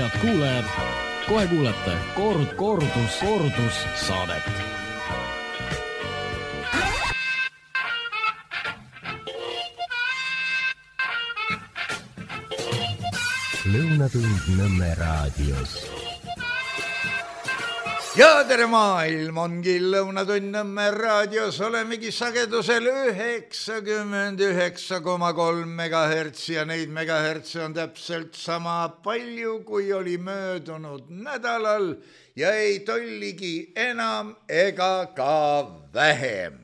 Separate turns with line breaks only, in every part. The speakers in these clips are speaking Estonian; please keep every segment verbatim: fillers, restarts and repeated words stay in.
head kuulajad, kohe kuulete kord, kordus, kordus saadet.
Lõunatund Nõmme raadios.
Ja tere maailm ongi Lõunatund Nõmme raadios, olemegi sagedusel üheksakümmend üheksa koma kolm megahertsi ja neid megahertsi on täpselt sama palju, kui oli möödunud nädalal ja ei tolligi enam ega ka vähem.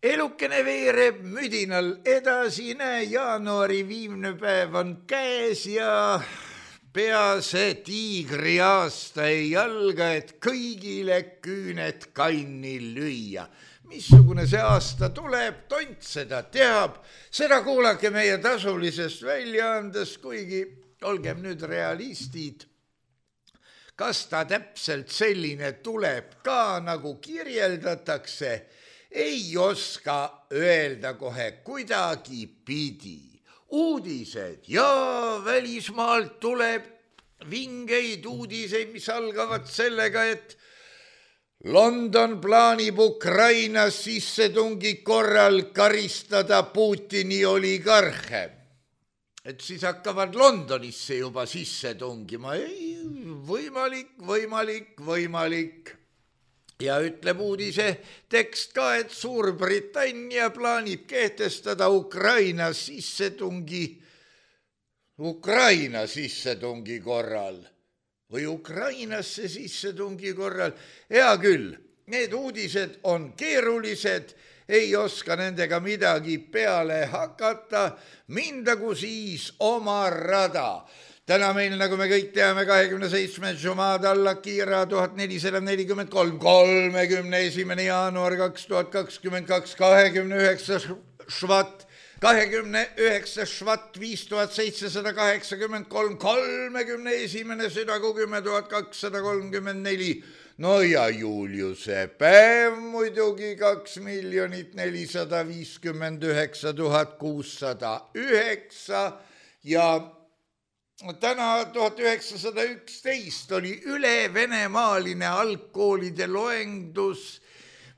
Elukene veereb müdinal edasi, näe, jaanuari viimne päev on käes ja pea see tiigri aasta ei alga, et kõigile küüned kanni lüüa. Missugune see aasta tuleb, tont seda teab, seda kuulake meie tasulisest väljaandest, kuigi olgem nüüd realistid. Kas ta täpselt selline tuleb ka, nagu kirjeldatakse, ei oska öelda kohe kuidagi pidi. Uudised ja välismaalt tuleb vingeid uudiseid, mis algavad sellega, et London plaanib Ukrainas sissetungi korral karistada Putini oligarhe. Et siis hakkavad Londonisse juba sisse tungima. Ei, võimalik, võimalik, võimalik. Ja ütleb uudise tekst ka, et Suurbritannia plaanib kehtestada Ukraina sissetungi, Ukraina sissetungi korral või Ukrainasse sissetungi korral. Hea küll, need uudised on keerulised, ei oska nendega midagi peale hakata, mindagu siis oma rada. Täna meil, nagu me kõik teame, kahekümne seitsmes Jumada alla kiira tuhat nelisada nelikümmend kolm, kolmekümne esimene jaanuar kaks tuhat kakskümmend kaks, kahekümne üheksas švat, kahekümne üheksas švat, viis tuhat seitsesada kaheksakümmend kolm, kolmekümne esimene südagu, kümme tuhat kakssada kolmkümmend neli. No ja Juliuse päev muidugi kaks miljonit nelisada viiskümmend üheksa tuhat kuussada üheksa ja täna tuhat üheksasada üksteist oli üle venemaaline algkoolide loendus,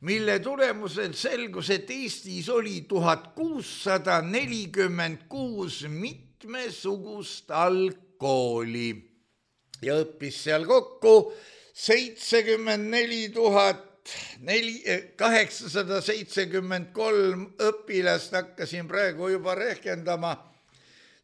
mille tulemusel selgus, et Eestis oli tuhat kuussada nelikümmend kuus mitmesugust algkooli ja õppis seal kokku seitsekümmend neli tuhat kaheksasada seitsekümmend kolm õpilast. Hakkasin praegu juba rehkendama.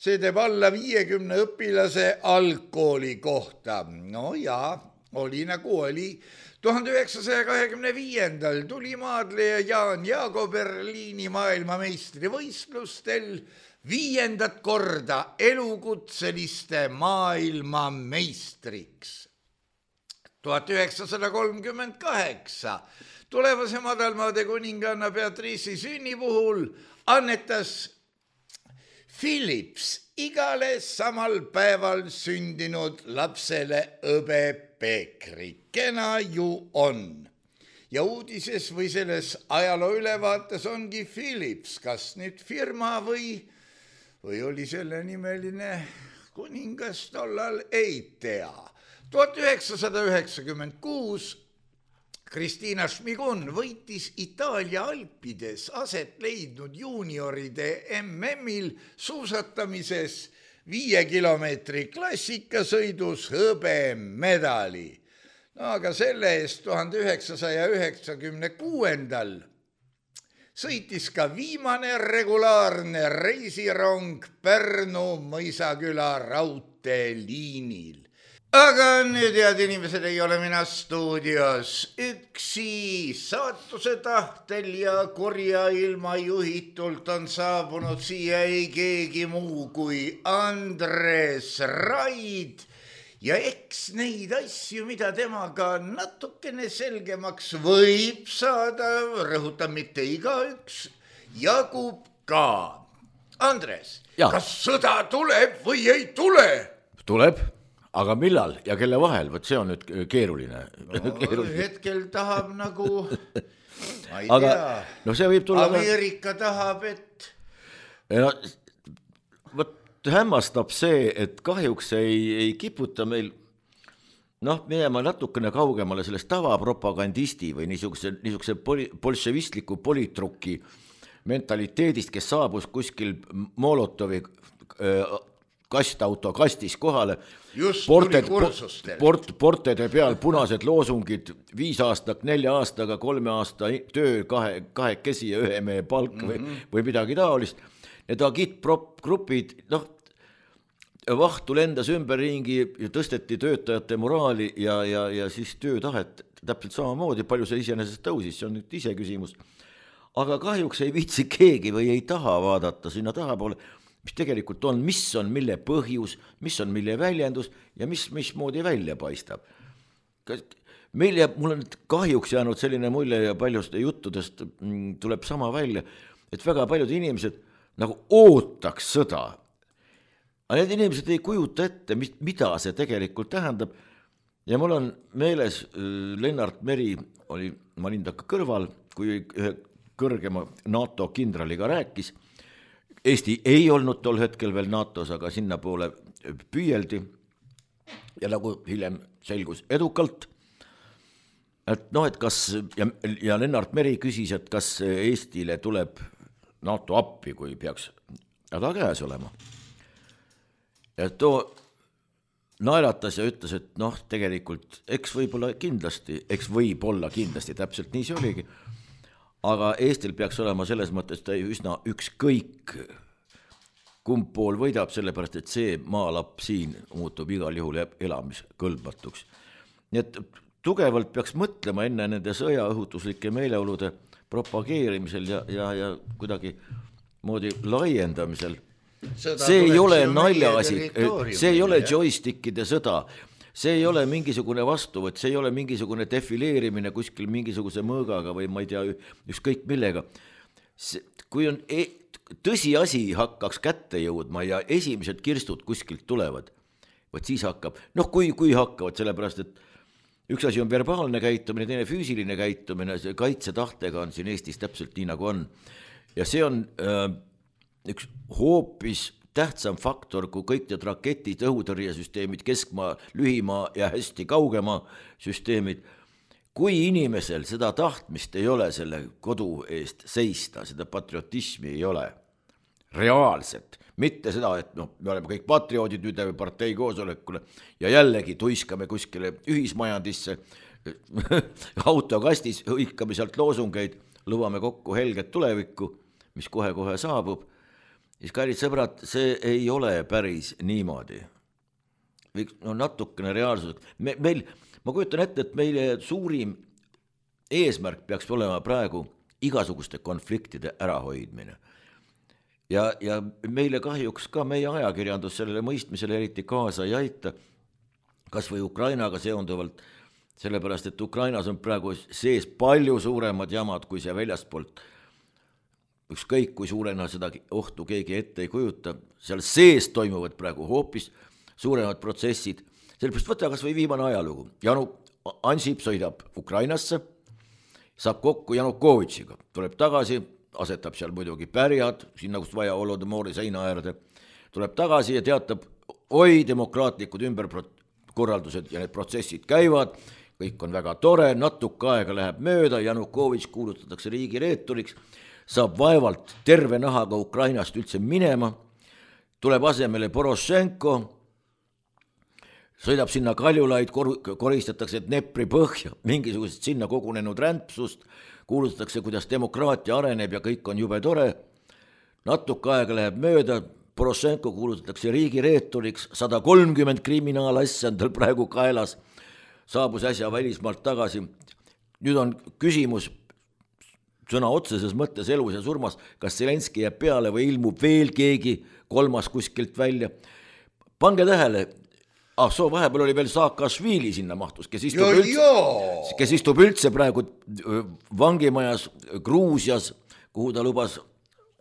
See teeb alla viiekümne õpilase algkooli kohta. No ja, oli nagu oli. tuhande üheksasaja kahekümne viiendal tuli maadleja Jaan Jaago Berliini maailmameistri võistlustel viiendat korda elukutseliste maailmameistriks. tuhat üheksasada kolmkümmend kaheksa tulevase madalmaade kuninganna Beatrice'i sünni puhul annetas Philips igale samal päeval sündinud lapsele õbe Peekri. Kena ju on. Ja uudises või selles ajaloo ülevaates ongi Philips, kas nüüd firma või, või oli selle nimeline kuningas tollal, ei tea. tuhat üheksasada üheksakümmend kuus Kristiina Šmigun võitis Itaalia Alpides aset leidnud juunioride M M-il suusatamises viie kilomeetri klassikasõidus hõbemedali. No aga selle eest tuhande üheksasaja üheksakümne kuuendal sõitis ka viimane regulaarne reisirong Pärnu Mõisaküla raudteeliinil. Aga nüüd, head inimesed, ei ole mina stuudios üksi. Saatuse tahtel ja kurja ilma juhitult on saabunud siia ei keegi muu kui Andres Raid. Ja eks neid asju, mida temaga natukene selgemaks võib saada, rõhutan mitte igaüks, jagub ka. Andres, ja. Kas sõda tuleb või ei tule?
Tuleb. Aga millal ja kelle vahel? Võt see on nüüd keeruline.
No, keeruline. Hetkel tahab nagu, ma ei
aga,
tea,
no see võib tulla
Ameerika tahab, et...
No, võt, hämmastab see, et kahjuks ei, ei kiputa meil noh, minema natukene kaugemale sellest tavapropagandisti või niisuguse, niisuguse poli, bolševistliku politrukki mentaliteedist, kes saabus kuskil Molotovi äh, kastauto kastis kohale.
Just
ported,
tuli kursustele.
Port, portede peal punased loosungid, viis aastat, nelja aastaga, kolme aasta töö, kahe, kahekesi ja ühe mehe palk või, mm-hmm. või midagi taolist. Need agitgrupid, noh, vahtu lendas ümberringi ja tõsteti töötajate moraali ja, ja, ja siis töötahet täpselt samamoodi, palju see iseenesest tõusis, see on nüüd ise küsimus. Aga kahjuks ei viitsi keegi või ei taha vaadata sinna tahapoole, mis tegelikult on, mis on mille põhjus, mis on mille väljendus ja mis, mismoodi välja paistab. Meil jääb, mul on kahjuks jäänud selline mulje ja paljust juttudest tuleb sama välja, et väga paljud inimesed nagu ootaks sõda. Aga need inimesed ei kujuta ette, mida see tegelikult tähendab. Ja mul on meeles, Lennart Meri oli, ma olin takka kõrval, kui ühe kõrgema NATO kindraliga rääkis. Eesti ei olnud tol hetkel veel NATOs, aga sinna poole püüeldi ja nagu hiljem selgus edukalt. Et noh, et kas, ja, ja Lennart Meri küsis, et kas Eestile tuleb NATO appi, kui peaks häda käes olema. Ja too naeratas ja ütles, et noh, tegelikult eks võib-olla kindlasti, eks võib-olla kindlasti, täpselt nii see oligi. Aga Eestil peaks olema selles mõttes ta üsna ükskõik, kumb pool võidab, sellepärast, et see maalapp siin muutub igal juhul elamiskõlbmatuks. Nii et tugevalt peaks mõtlema enne nende sõjaõhutuslike meeleolude propageerimisel ja, ja, ja kuidagi moodi laiendamisel. Sõda see ei ole naljaasi, see ei ole joystickide sõda. See ei ole mingisugune vastuvõtt, see ei ole mingisugune defileerimine kuskil mingisuguse mõõgaga või ma ei tea, ükskõik millega. See, kui on e tõsiasi hakkaks kätte jõudma ja esimesed kirstud kuskilt tulevad, võt siis hakkab, noh kui, kui hakkavad, sellepärast, et üks asi on verbaalne käitumine, teine füüsiline käitumine, see kaitsetahtega on siin Eestis täpselt nii nagu on. Ja see on äh, üks hoopis tähtsam faktor, kui kõik need raketid, õhutõrjesüsteemid, keskmaa, lühimaa ja hästi kaugemaa süsteemid. Kui inimesel seda tahtmist ei ole selle kodu eest seista, seda patriotismi ei ole reaalselt. Mitte seda, et no, me oleme kõik patrioodid nüüd partei koosolekule ja jällegi tuiskame kuskile ühismajandisse, autokastis hõikame sealt loosungeid, lubame kokku helget tulevikku, mis kohe-kohe saabub. Siis kallid sõbrad, see ei ole päris niimoodi. No natukene reaalsus. Me, meil, ma kujutan ette, et meile suurim eesmärk peaks olema praegu igasuguste konfliktide ärahoidmine. Ja, ja meile kahjuks ka meie ajakirjandus sellele mõistmisele eriti kaasa ei aita, kas või Ukrainaga seonduvalt, sellepärast, et Ukrainas on praegu sees palju suuremad jamad, kui see väljastpoolt ükskõik kui suurena seda ohtu keegi ette ei kujuta, seal sees toimuvad praegu hoopis suuremad protsessid. Sellepärast võtta kas või viimane ajalugu. Janu Ansip sõidab Ukrainasse, saab kokku Janukovitšiga, tuleb tagasi, asetab seal muidugi pärjad, sinna kust vaja Holodomori seina äärde, tuleb tagasi ja teatab, oi, demokraatlikud ümberkorraldused ja need protsessid käivad, kõik on väga tore, natuke aega läheb mööda, Janukovitš kuulutatakse riigi reeturiks, saab vaevalt terve nahaga Ukrainast üldse minema, tuleb asemele Porošenko, sõidab sinna Kaljulaid, kor koristatakse Dnepri põhja, mingisugused sinna kogunenud rämpsust, kuulutatakse, kuidas demokraatia areneb ja kõik on jube tore, natuke aega läheb mööda, Porošenko kuulutatakse riigi reeturiks, sada kolmkümmend kriminaalasja on tal praegu kaelas, saabus äsja välismaalt tagasi. Nüüd on küsimus, sõna otseses mõttes elus ja surmas, kas Zelenski jääb peale või ilmub veel keegi kolmas kuskilt välja. Pange tähele, ah, soo vahepeal oli veel Saakašvili sinna mahtus, kes istub,
jo,
üldse,
jo.
kes istub üldse praegu vangimajas Gruusias, kuhu ta lubas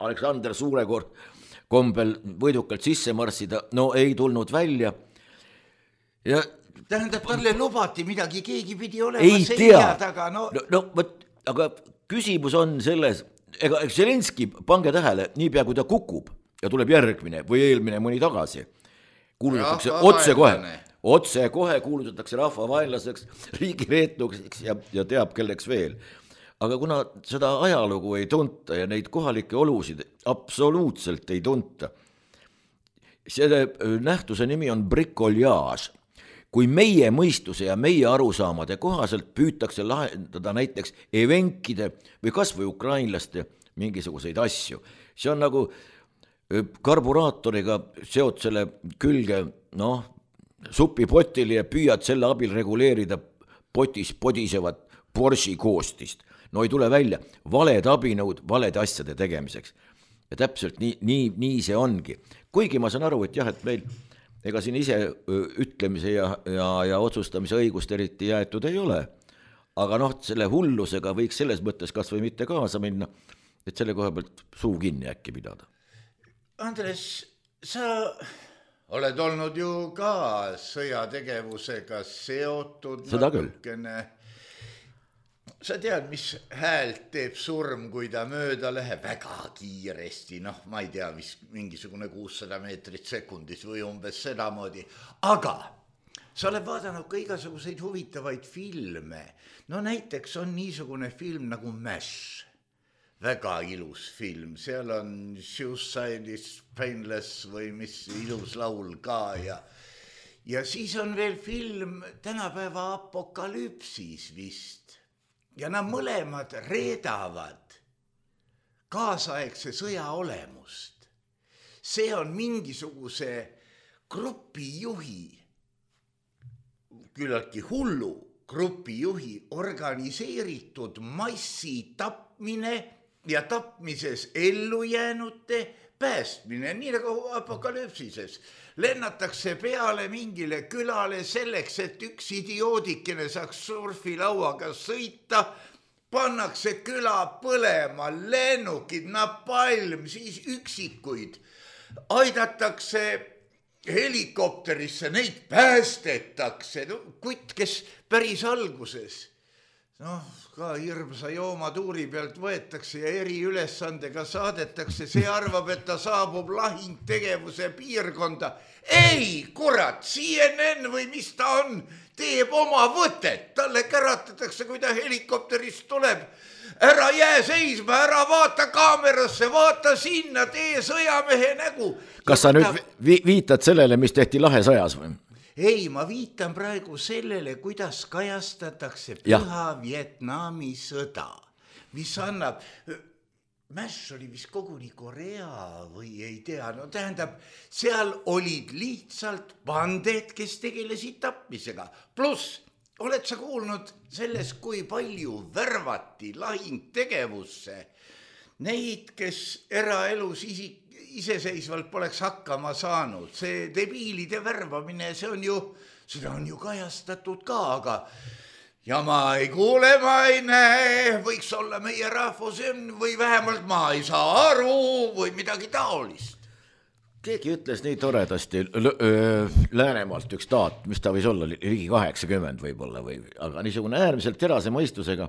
Aleksander Suurekord kombel võidukalt sisse marssida, no ei tulnud välja. Ja
tähendab, talle lubati midagi, keegi pidi olema
ei tea,
taga, no,
no, no võt, aga küsimus on selles, ega Zelenski, pange tähele, nii pea kui ta kukub, ja tuleb järgmine või eelmine mõni tagasi. Kuulutatakse otse kohe, otse kohe kuulutatakse rahvavaenlaseks, riigireetluseks ja, ja teab kelleks veel. Aga kuna seda ajalugu ei tunta ja neid kohalikke olusid absoluutselt ei tunta, selle nähtuse nimi on bricolage. Kui meie mõistuse ja meie arusaamade kohaselt püütakse lahendada näiteks evenkide või kas või ukrainlaste mingisuguseid asju. See on nagu karburaatoriga seot selle külge noh, supipotile ja püüad selle abil reguleerida potis podisevat Porsche koostist. No ei tule välja, valed abinõud valede asjade tegemiseks. Ja täpselt nii, nii, nii see ongi. Kuigi ma saan aru, et jah, et meil ega siin ise ütlemise ja, ja, ja otsustamise õigust eriti jäetud ei ole. Aga noh, selle hullusega võiks selles mõttes kas või mitte kaasa minna, et selle koha pealt suu kinni äkki pidada.
Andres, sa oled olnud ju ka sõjategevusega seotud.
Seda küll.
Sa tead, mis häält teeb surm, kui ta mööda läheb väga kiiresti, noh, ma ei tea, mis mingisugune kuussada meetrit sekundis või umbes sedamoodi, aga sa oled vaadanud ka igasuguseid huvitavaid filme, no näiteks on niisugune film nagu Mash, väga ilus film, seal on Suicide is Painless või mis ilus laul ka ja ja siis on veel film tänapäeva Apokalüpsis vist. Ja nad mõlemad reedavad kaasaegse sõja olemust. See on mingisuguse grupijuhi, küllaltki hullu grupijuhi organiseeritud massi tapmine ja tapmises ellu jäänute päästmine, nii nagu Apokalüpsises. Lennatakse peale mingile külale selleks, et üks idioodikene saaks surfilauaga sõita, pannakse küla põlema, lennukid, napalm, siis üksikuid. Aidatakse helikopterisse, neid päästetakse, no, kutt, kes päris alguses, noh, ka hirmsa joomatuuri pealt võetakse ja eriülesandega saadetakse, see arvab, et ta saabub lahingtegevuse piirkonda. Ei, kurat, C N N või mis ta on, teeb oma võtet, talle käratatakse, kui ta helikopterist tuleb. Ära jää seisma, ära vaata kaamerasse, vaata sinna, tee sõjamehe nägu.
Kas sa nüüd vi- viitad sellele, mis tehti Lahesõjas või?
Ei, ma viitan praegu sellele, kuidas kajastatakse Püha Vietnami sõda, mis annab, Mash oli vist koguni Korea või ei tea, no tähendab, seal olid lihtsalt banded, kes tegelesid tapmisega, pluss oled sa kuulnud sellest, kui palju värvati lahingtegevusse neid, kes eraelus isik iseseisvalt poleks hakkama saanud. See debiilide värvamine, see on ju, seda on ju kajastatud ka, aga ja ma ei kuule, ma ei näe, võiks olla meie rahvus või vähemalt ma ei saa aru või midagi taolist.
Keegi ütles nii toredasti Läänemaalt üks taat, mis ta võis olla, ligi kaheksakümmend võib-olla, või, aga niisugune äärmiselt terase mõistusega.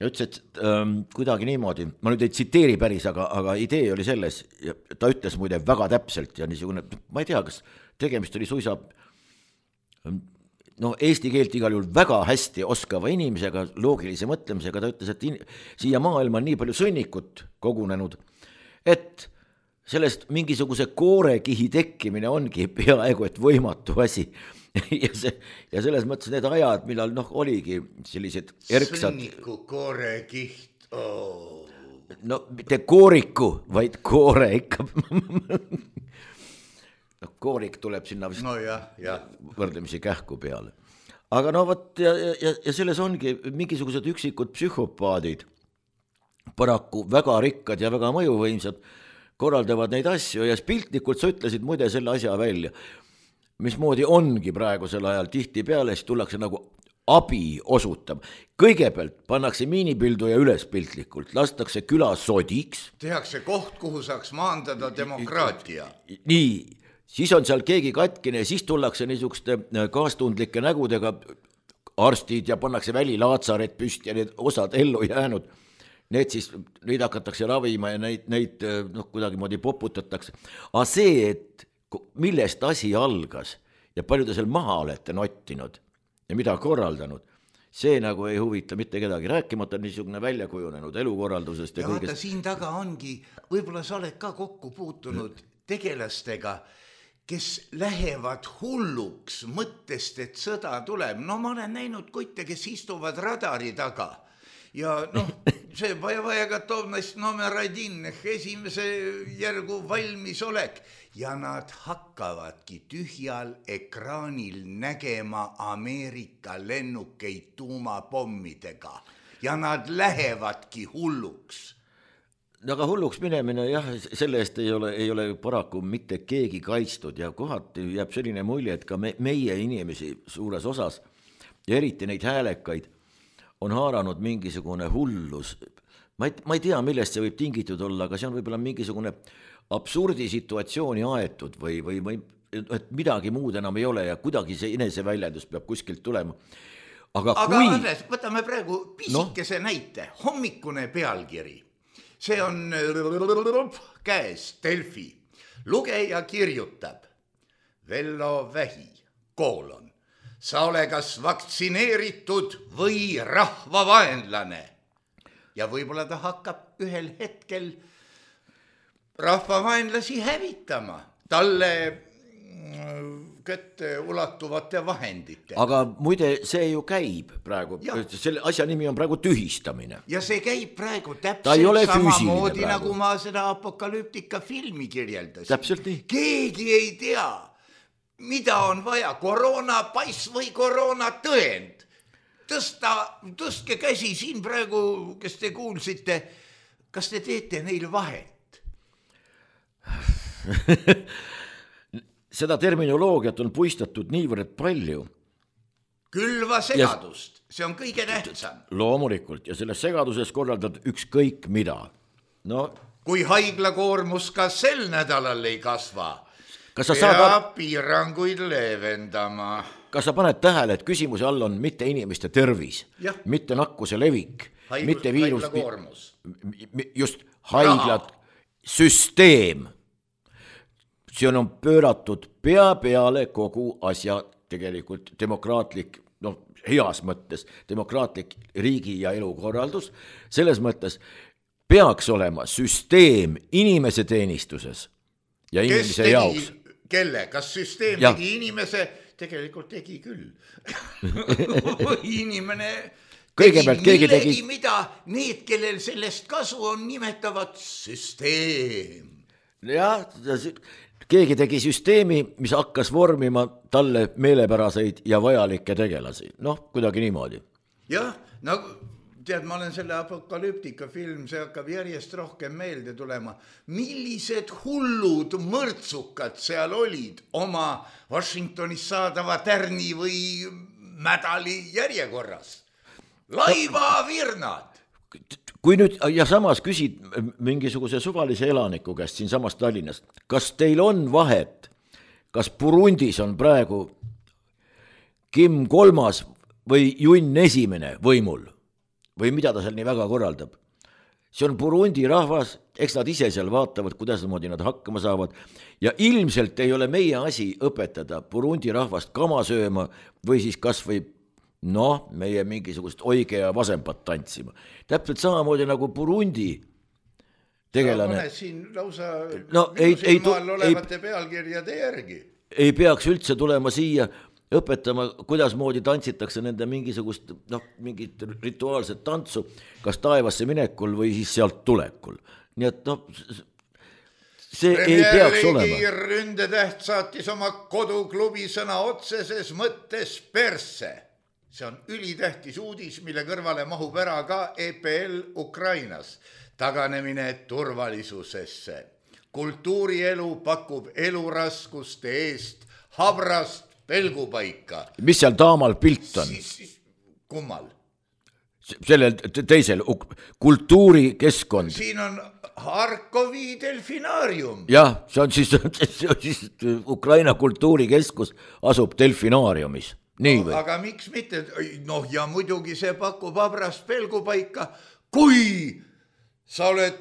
Ja ütles, et ähm, kuidagi niimoodi, ma nüüd ei tsiteeri päris, aga, aga idee oli selles, ja ta ütles muide väga täpselt ja niisugune, ma ei tea, kas tegemist oli suisa no, eesti keelt igal juhul väga hästi oskava inimesega, loogilise mõtlemisega, ta ütles, et in, siia maailma on nii palju sõnnikut kogunenud, et sellest mingisuguse koorekihi tekkimine ongi peaaegu et võimatu asi. Ja, see, ja selles mõttes need ajad, millal noh, oligi sellised erksad...
Sõnniku koorekiht, oh.
No mitte kooriku, vaid koore ikka. No, koorik tuleb sinna vist
no, jah, jah.
võrdlemisi kähku peale. Aga no võt, ja, ja, ja selles ongi mingisugused üksikud psühhopaadid, paraku väga rikkad ja väga mõjuvõimsad, korraldavad neid asju ja piltlikult sa ütlesid muide selle asja välja. Mismoodi ongi praegusel ajal tihti peale, siis tullakse nagu abi osutab. Kõigepealt pannakse miinipildu ja üles piltlikult, lastakse küla sodiks.
Tehakse koht, kuhu saaks maandada demokraatia.
Nii, siis on seal keegi katkine ja siis tullakse niisuguste kaastundlike nägudega arstid ja pannakse välilaatsaaret püsti ja need osad ellu jäänud. need siis, neid hakatakse ravima ja neid, neid noh, kuidagi moodi poputatakse. Aga see, et millest asi algas ja palju te seal maha olete nottinud ja mida korraldanud, see nagu ei huvita mitte kedagi, rääkimata niisugune väljakujunenud elukorraldusest. Ja,
ja vaata, siin taga ongi, võib-olla sa oled ka kokku puutunud tegelastega, kes lähevad hulluks mõttest, et sõda tuleb. No ma olen näinud kutte, kes istuvad radari taga ja noh, see vaja gotovnost nomer один, esimese järgu valmisolek ja nad hakkavadki tühjal ekraanil nägema Ameerika lennukeid tuumapommidega ja nad lähevadki hulluks.
Aga hulluks minemine, jah, selle eest ei ole, ei ole paraku mitte keegi kaitstud ja kohati jääb selline mulje, et ka me, meie inimesi suures osas ja eriti neid häälekaid on haaranud mingisugune hullus. Ma ei, ma ei tea, millest see võib tingitud olla, aga see on võib-olla mingisugune absurdi situatsiooni aetud või, või, või et midagi muud enam ei ole ja kuidagi see eneseväljendus peab kuskilt tulema. Aga,
aga
kui...
Andres, võtame praegu pisikese no? näite, hommikune pealkiri. See on käes Delfi. Lugeja kirjutab Vello Vähi, koolon. Sa ole kas vaktsineeritud või rahvavaenlane. Ja võib-olla ta hakkab ühel hetkel rahvavaenlasi hävitama talle kätte ulatuvate vahendite.
Aga muide, see ju käib praegu, selle asja nimi on praegu tühistamine.
Ja see käib praegu täpselt samamoodi, nagu ma seda apokalüptika filmi kirjeldasin.
Täpselt nii.
Keegi ei tea, mida on vaja, koroonapass või koroonatõend. Tõsta, tõstke käsi siin praegu, kes te kuulsite, kas te teete neil vahet?
Seda terminoloogiat on puistatud niivõrd palju.
Külva segadust, ja see on kõige tähtsam.
Loomulikult, ja selles segaduses korraldad ükskõik mida. No,
kui haiglakoormus ka sel nädalal ei kasva,
kas sa
pea
saad...
piiranguid leevendama.
Kas sa paned tähele, et küsimuse all on mitte inimeste tervis,
ja. mitte
nakkuse levik,
Haigus,
mitte viirus,
haiglakoormus.
Just haiglad, süsteem. See on pööratud pea peale kogu asja tegelikult demokraatlik, noh, heas mõttes demokraatlik riigi ja elukorraldus. Selles mõttes peaks olema süsteem inimese teenistuses ja inimese
tegi,
jaoks.
Kelle? Kas süsteem ja. tegi inimese? Tegelikult tegi küll. Inimene tegi millegi, tegi... mida need, kellel sellest kasu on, nimetavad süsteem.
Jah, keegi tegi süsteemi, mis hakkas vormima talle meelepäraseid ja vajalikke tegelasi. Noh, kuidagi niimoodi.
Jah, no tead, ma olen selle apokalüptika film, see hakkab järjest rohkem meelde tulema. Millised hullud mõrtsukad seal olid oma Washingtonis saadava tärni või mädali järjekorras. Laivavirnad.
Kui nüüd ja samas küsid mingisuguse suvalise elaniku käest siin samast Tallinnast, kas teil on vahet, kas Burundis on praegu Kim kolmas või Junn esimene võimul või mida ta seal nii väga korraldab? See on Burundi rahvas, eks nad ise seal vaatavad, kuidas moodi nad hakkama saavad ja ilmselt ei ole meie asi õpetada Burundi rahvast kama sööma või siis kas või noh, meie mingisugust oige ja vasempat tantsima. Täpselt samamoodi nagu Burundi tegelane.
No, siin lausa
no, ei, ei,
maal olevate ei, pealkirjade järgi.
Ei peaks üldse tulema siia õpetama, kuidas moodi tantsitakse nende mingisugust, noh, mingit rituaalset tantsu, kas taevasse minekul või siis sealt tulekul. Nii et noh, see Premier ei peaks olema.
Ründetäht saatis oma koduklubi sõna otseses mõttes persse. See on ülitähtis uudis, mille kõrvale mahub ära ka E P L Ukrainas. Taganemine turvalisusesse. Kultuurielu pakub eluraskuste eest habrast pelgupaika.
Mis seal taamal pilt on?
Siis, siis, kummal?
Sellel teisel kultuurikeskkond.
Siin on Harkovi delfinaarium.
Jah, see on siis, see on siis Ukraina kultuurikeskus asub delfinaariumis. Nii või?
Aga miks mitte? Noh, ja muidugi see pakub habrast pelgupaika, kui sa oled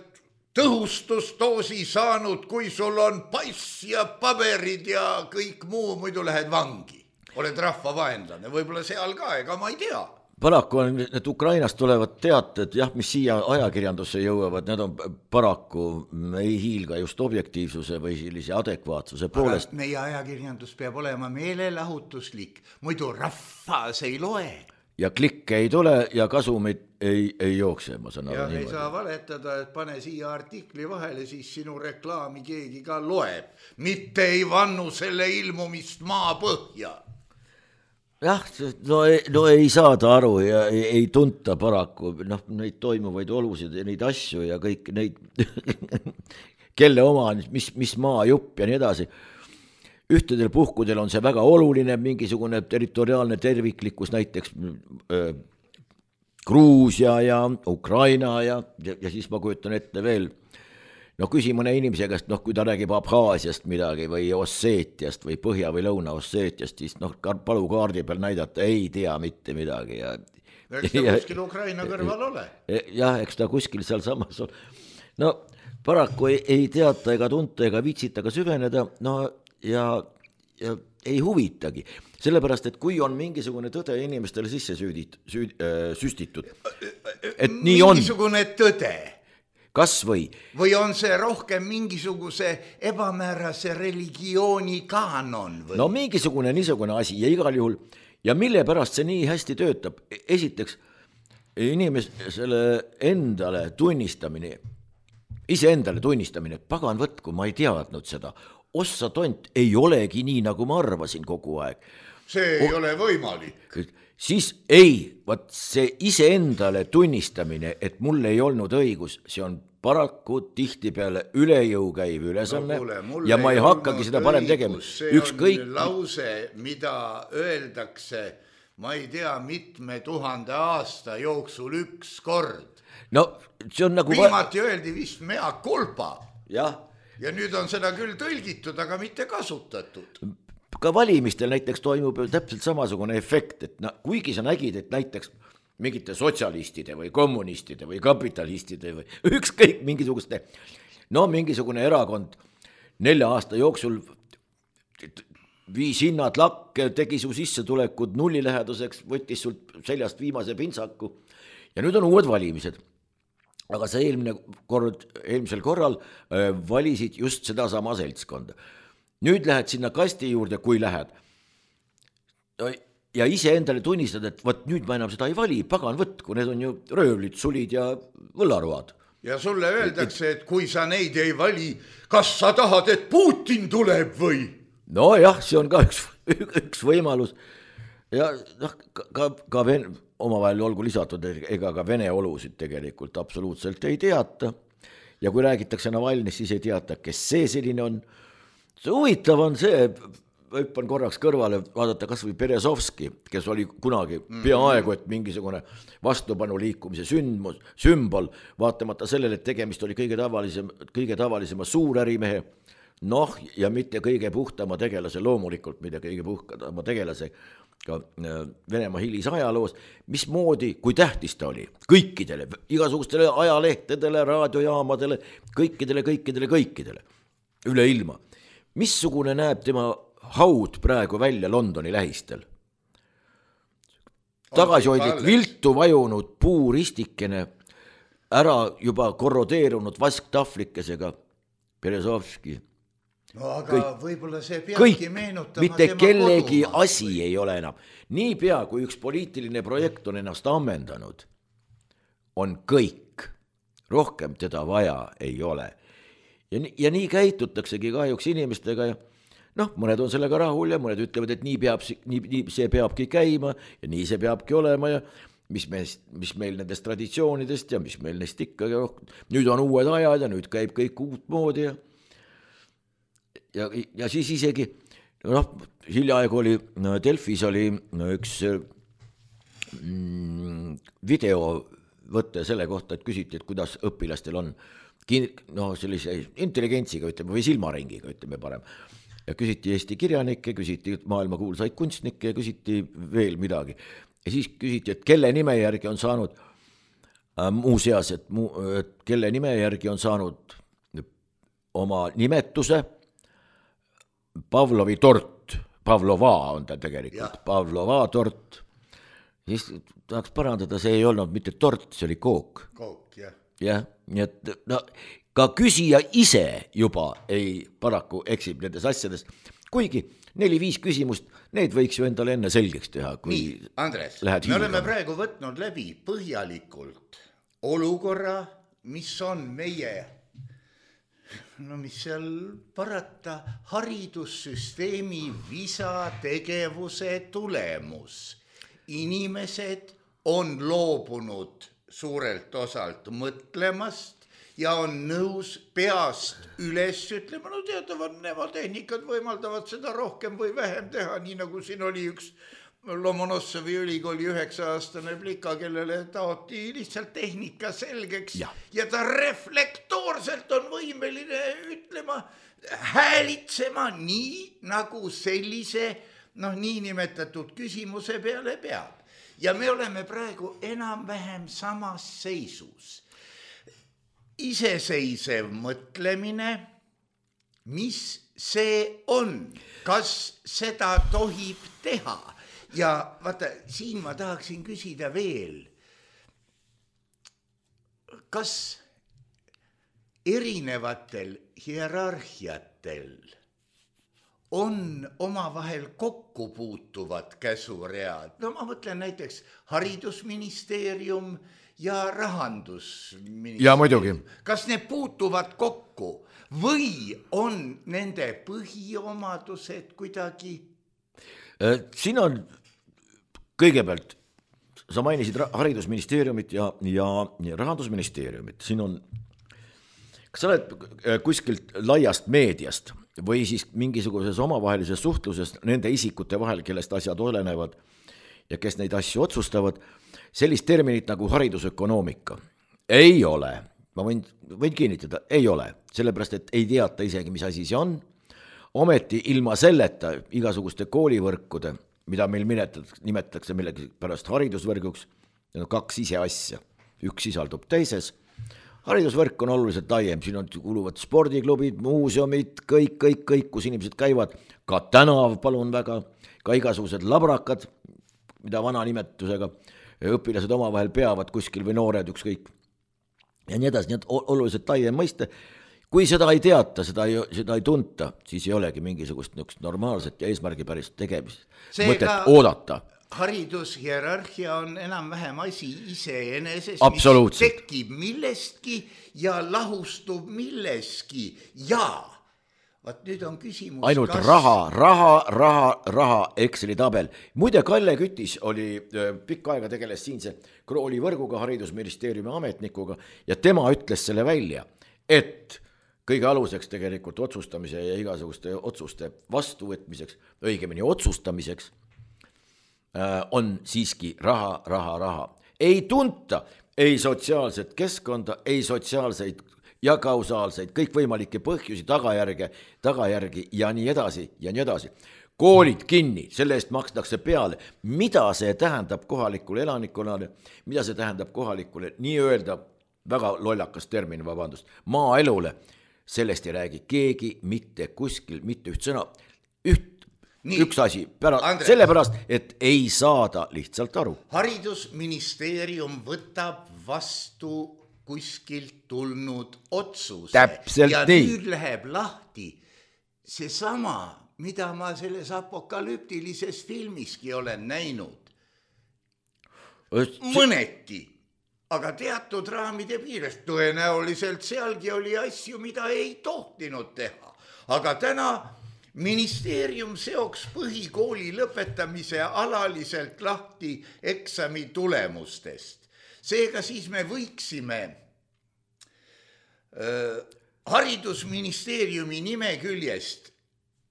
tõhustusdoosi saanud, kui sul on pass ja paberid ja kõik muu, muidu lähed vangi. Oled rahvavaenlane, võib-olla seal ka, ega ma ei tea.
Paraku on need Ukrainast tulevad teated, jah, mis siia ajakirjandusse jõuavad, need on paraku ei hiilga just objektiivsuse või sellise adekvaatsuse poolest.
Aga meie ajakirjandus peab olema meelelahutuslik, muidu rahvas ei loe.
Ja klikke ei tule ja kasumid ei, ei jookse, ma saan aru.
Ja ei saa valetada, et pane siia artikli vahele, siis sinu reklaami keegi ka loeb. Mitte ei vannu selle ilmumist maa põhja.
Jah, no ei, no ei saada aru ja ei, ei tunta paraku noh, neid toimuvaid olusid ja neid asju ja kõik neid kelle oma, mis, mis maa jupp ja nii edasi. Ühtedel puhkudel on see väga oluline, mingisugune territoriaalne terviklikkus, näiteks äh, Gruusia ja Ukraina ja, ja, ja siis ma kujutan ette veel no küsi mõne inimese käest, noh kui ta räägib Abhaasiast midagi või Osseetiast või Põhja- või Lõuna-Osseetiast, siis noh palu kaardi peal näidata, ei tea mitte midagi. Ja,
eks ta kuskil Ukraina kõrval ole.
Jah, eks ta kuskil seal samas ole. No paraku ei, ei teata ega tunta ega viitsita ka süveneda, no ja, ja ei huvitagi. Sellepärast, et kui on mingisugune tõde inimestele sisse süüdit, süüd, äh, süstitud, et nii on.
Mingisugune tõde.
Kas või?
Või on see rohkem mingisuguse ebamäärase religiooni kaanon? Või?
No mingisugune niisugune asi ja igal juhul. Ja mille pärast see nii hästi töötab? Esiteks, inimesele endale tunnistamine, ise endale tunnistamine, pagan võtku, ma ei teadnud seda. Ossa tont ei olegi nii, nagu ma arvasin kogu aeg.
See ei o- ole võimalik.
Siis ei, vaat see ise endale tunnistamine, et mul ei olnud õigus, see on paraku tihti peale üle jõu käiv ülesanne no, kuule, ja ma ei hakkagi seda parem tegema.
See
Ükskõik...
on lause, mida öeldakse, ma ei tea, mitme tuhande aasta jooksul üks kord.
No see on nagu...
Viimati öeldi vist mea culpa.
Jah.
Ja nüüd on seda küll tõlgitud, aga mitte kasutatud.
Ka valimistel näiteks toimub täpselt samasugune efekt, et na, kuigi sa nägid, et näiteks mingite sotsialistide või kommunistide või kapitalistide või ükskõik mingisuguste, no mingisugune erakond nelja aasta jooksul viis hinnad lakke, tegi su sissetulekud nulliläheduseks, võttis sult seljast viimase pintsaku ja nüüd on uued valimised. Aga see eelmine kord, eelmisel korral äh, valisid just seda sama seltskonda. Nüüd lähed sinna kasti juurde, kui lähed. Ja ise endale tunnistad, et võt nüüd ma enam seda ei vali, pagan võtku, need on ju röövlid, sulid ja võllaruad.
Ja sulle öeldakse, et kui sa neid ei vali, kas sa tahad, et Putin tuleb või?
No jah, see on ka üks, üks võimalus. Ja noh, ka, ka ven, omavahel olgu lisatud, ega ka Vene olusid tegelikult absoluutselt ei teata. Ja kui räägitakse Navalnist, siis ei teata, kes see selline on. See huvitav on see, hüppan korraks kõrvale, vaadata kas või Berezovski, kes oli kunagi peaaegu, et mingisugune vastupanu liikumise sündmus, sümbol, vaatamata sellele, et tegemist oli kõige tavalisem, kõige tavalisema suurärimehe, noh ja mitte kõige puhtama tegelase, loomulikult mitte kõige puhtama tegelase ka Venemaa hilis ajaloos, mismoodi, kui tähtis ta oli kõikidele, igasugustele ajalehtedele, raadiojaamadele, kõikidele, kõikidele, kõikidele, üle ilma. Missugune näeb tema haud praegu välja Londoni lähistel? Tagasihoidlik viltu vajunud puuristikene, ära juba korrodeerunud vasktahvlikesega Berezovski.
No aga kõik, võib-olla see peabki meenutama
mitte
tema
kellegi
kodumaa.
Asi ei ole enam. Nii pea, kui üks poliitiline projekt on ennast ammendanud, on kõik. Rohkem teda vaja ei ole. Ja, ja nii käitutaksegi kahjuks inimestega ja noh, mõned on sellega rahul ja mõned ütlevad, et nii, peab, nii, nii see peabki käima ja nii see peabki olema ja mis, me, mis meil nendest traditsioonidest ja mis meil neist ikka, nüüd on uued ajad ja nüüd käib kõik uut moodi ja, ja, ja siis isegi noh, hiljaaegu oli Delfis oli üks mm, videovõte selle kohta, et küsiti, et kuidas õpilastel on no sellise intelligentsiga, ütleme, või silmaringiga, ütleme parem. Ja küsiti Eesti kirjanikke, küsiti maailmakuulsaid kunstnikke ja küsiti veel midagi. Ja siis küsiti, et kelle nime järgi on saanud muuseas, et, mu, et kelle nime järgi on saanud oma nimetuse Pavlovi tort, Pavlova on ta tegelikult, ja. Pavlova tort, siis tahaks parandada, see ei olnud mitte tort, see oli kook.
Kook, jah.
Jah, nii et no, ka küsija ise juba ei paraku eksib nendes asjades, kuigi neli-viis küsimust, need võiks ju endale enne selgeks teha. Kui
nii, Andres, me oleme praegu võtnud läbi põhjalikult olukorra, mis on meie, no mis seal parata, haridussüsteemi visategevuse tulemus. Inimesed on loobunud suurelt osalt mõtlemast ja on nõus peast üles ütlema, no teatavad nemotehnikad võimaldavad seda rohkem või vähem teha, nii nagu siin oli üks Lomonossovi ülikooli üheksa-aastane plika, kellele taoti lihtsalt tehnika selgeks ja, ja ta reflektoorselt on võimeline ütlema, häälitsema nii, nagu sellise noh, niinimetatud küsimuse peale peab. Ja me oleme praegu enam-vähem samas seisus. Iseseisev mõtlemine, mis see on, kas seda tohib teha? Ja vaata, siin ma tahaksin küsida veel, kas erinevatel hierarhiatel on omavahel kokku puutuvad käsuread? No ma mõtlen näiteks haridusministeerium ja rahandusministeerium.
Ja muidugi.
Kas need puutuvad kokku või on nende põhiomadused kuidagi?
Siin on kõigepealt, sa mainisid haridusministeeriumit ja, ja rahandusministeeriumit. Siin on, kas sa oled kuskilt laiast meediast või siis mingisuguses omavahelises suhtluses nende isikute vahel, kellest asjad olenevad ja kes neid asju otsustavad, sellist terminit nagu haridusökonoomika ei ole, ma võin, võin kinnitada, ei ole, sellepärast, et ei teata isegi, mis asi see on, ometi ilma selleta igasuguste koolivõrkude, mida meil nimetatakse millegi pärast haridusvõrguks, need on kaks ise asja, üks sisaldub teises, haridusvõrk on oluliselt laiem, siin on kuluvad spordiklubid, muuseumid, kõik, kõik, kõik, kus inimesed käivad, ka tänav, palun väga, ka igasugused labrakad, mida vana nimetusega õpilased omavahel peavad kuskil või noored ükskõik. Ja nii edasi, nii et oluliselt laiem mõiste. Kui seda ei teata, seda ei, seda ei tunta, siis ei olegi mingisugust normaalset ja eesmärgipärist tegemist. Mõtet oodata.
Haridushierarhia on enam-vähem asi iseeneses,
mis
tekib millestki ja lahustub milleski ja vaat nüüd on küsimus
ainult kas... raha, raha, raha, raha Exceli tabel. Muide, Kalle Kütis oli pikka aega tegeles siinse koolivõrguga, haridusministeeriumi ametnikuga ja tema ütles selle välja, et kõige aluseks tegelikult otsustamise ja igasuguste otsuste vastuvõtmiseks, õigemini otsustamiseks on siiski raha, raha, raha. Ei tunta ei sotsiaalset keskkonda, ei sotsiaalseid ja kausaalseid, kõik võimalikke põhjusi, tagajärge, tagajärgi ja nii edasi ja nii edasi. Koolid kinni, selle eest makstakse peale. Mida see tähendab kohalikule elanikkonnale, mida see tähendab kohalikule, nii öelda, väga lollakas termin, vabandust, maaelule, sellest ei räägi keegi mitte kuskil, mitte üht sõna, üht, nii, üks asi, pärast, sellepärast, et ei saada lihtsalt aru.
Haridusministeerium võtab vastu kuskilt tulnud otsuse.
Täpselt
ja
nii.
Nüüd läheb lahti see sama, mida ma selles apokalüptilises filmiski olen näinud. Mõneti, aga teatud raamide piirest tõenäoliselt sealgi oli asju, mida ei tohtinud teha. Aga täna ministeerium seoks põhikooli lõpetamise alaliselt lahti eksami tulemustest. Seega siis me võiksime äh, haridusministeeriumi nimeküljest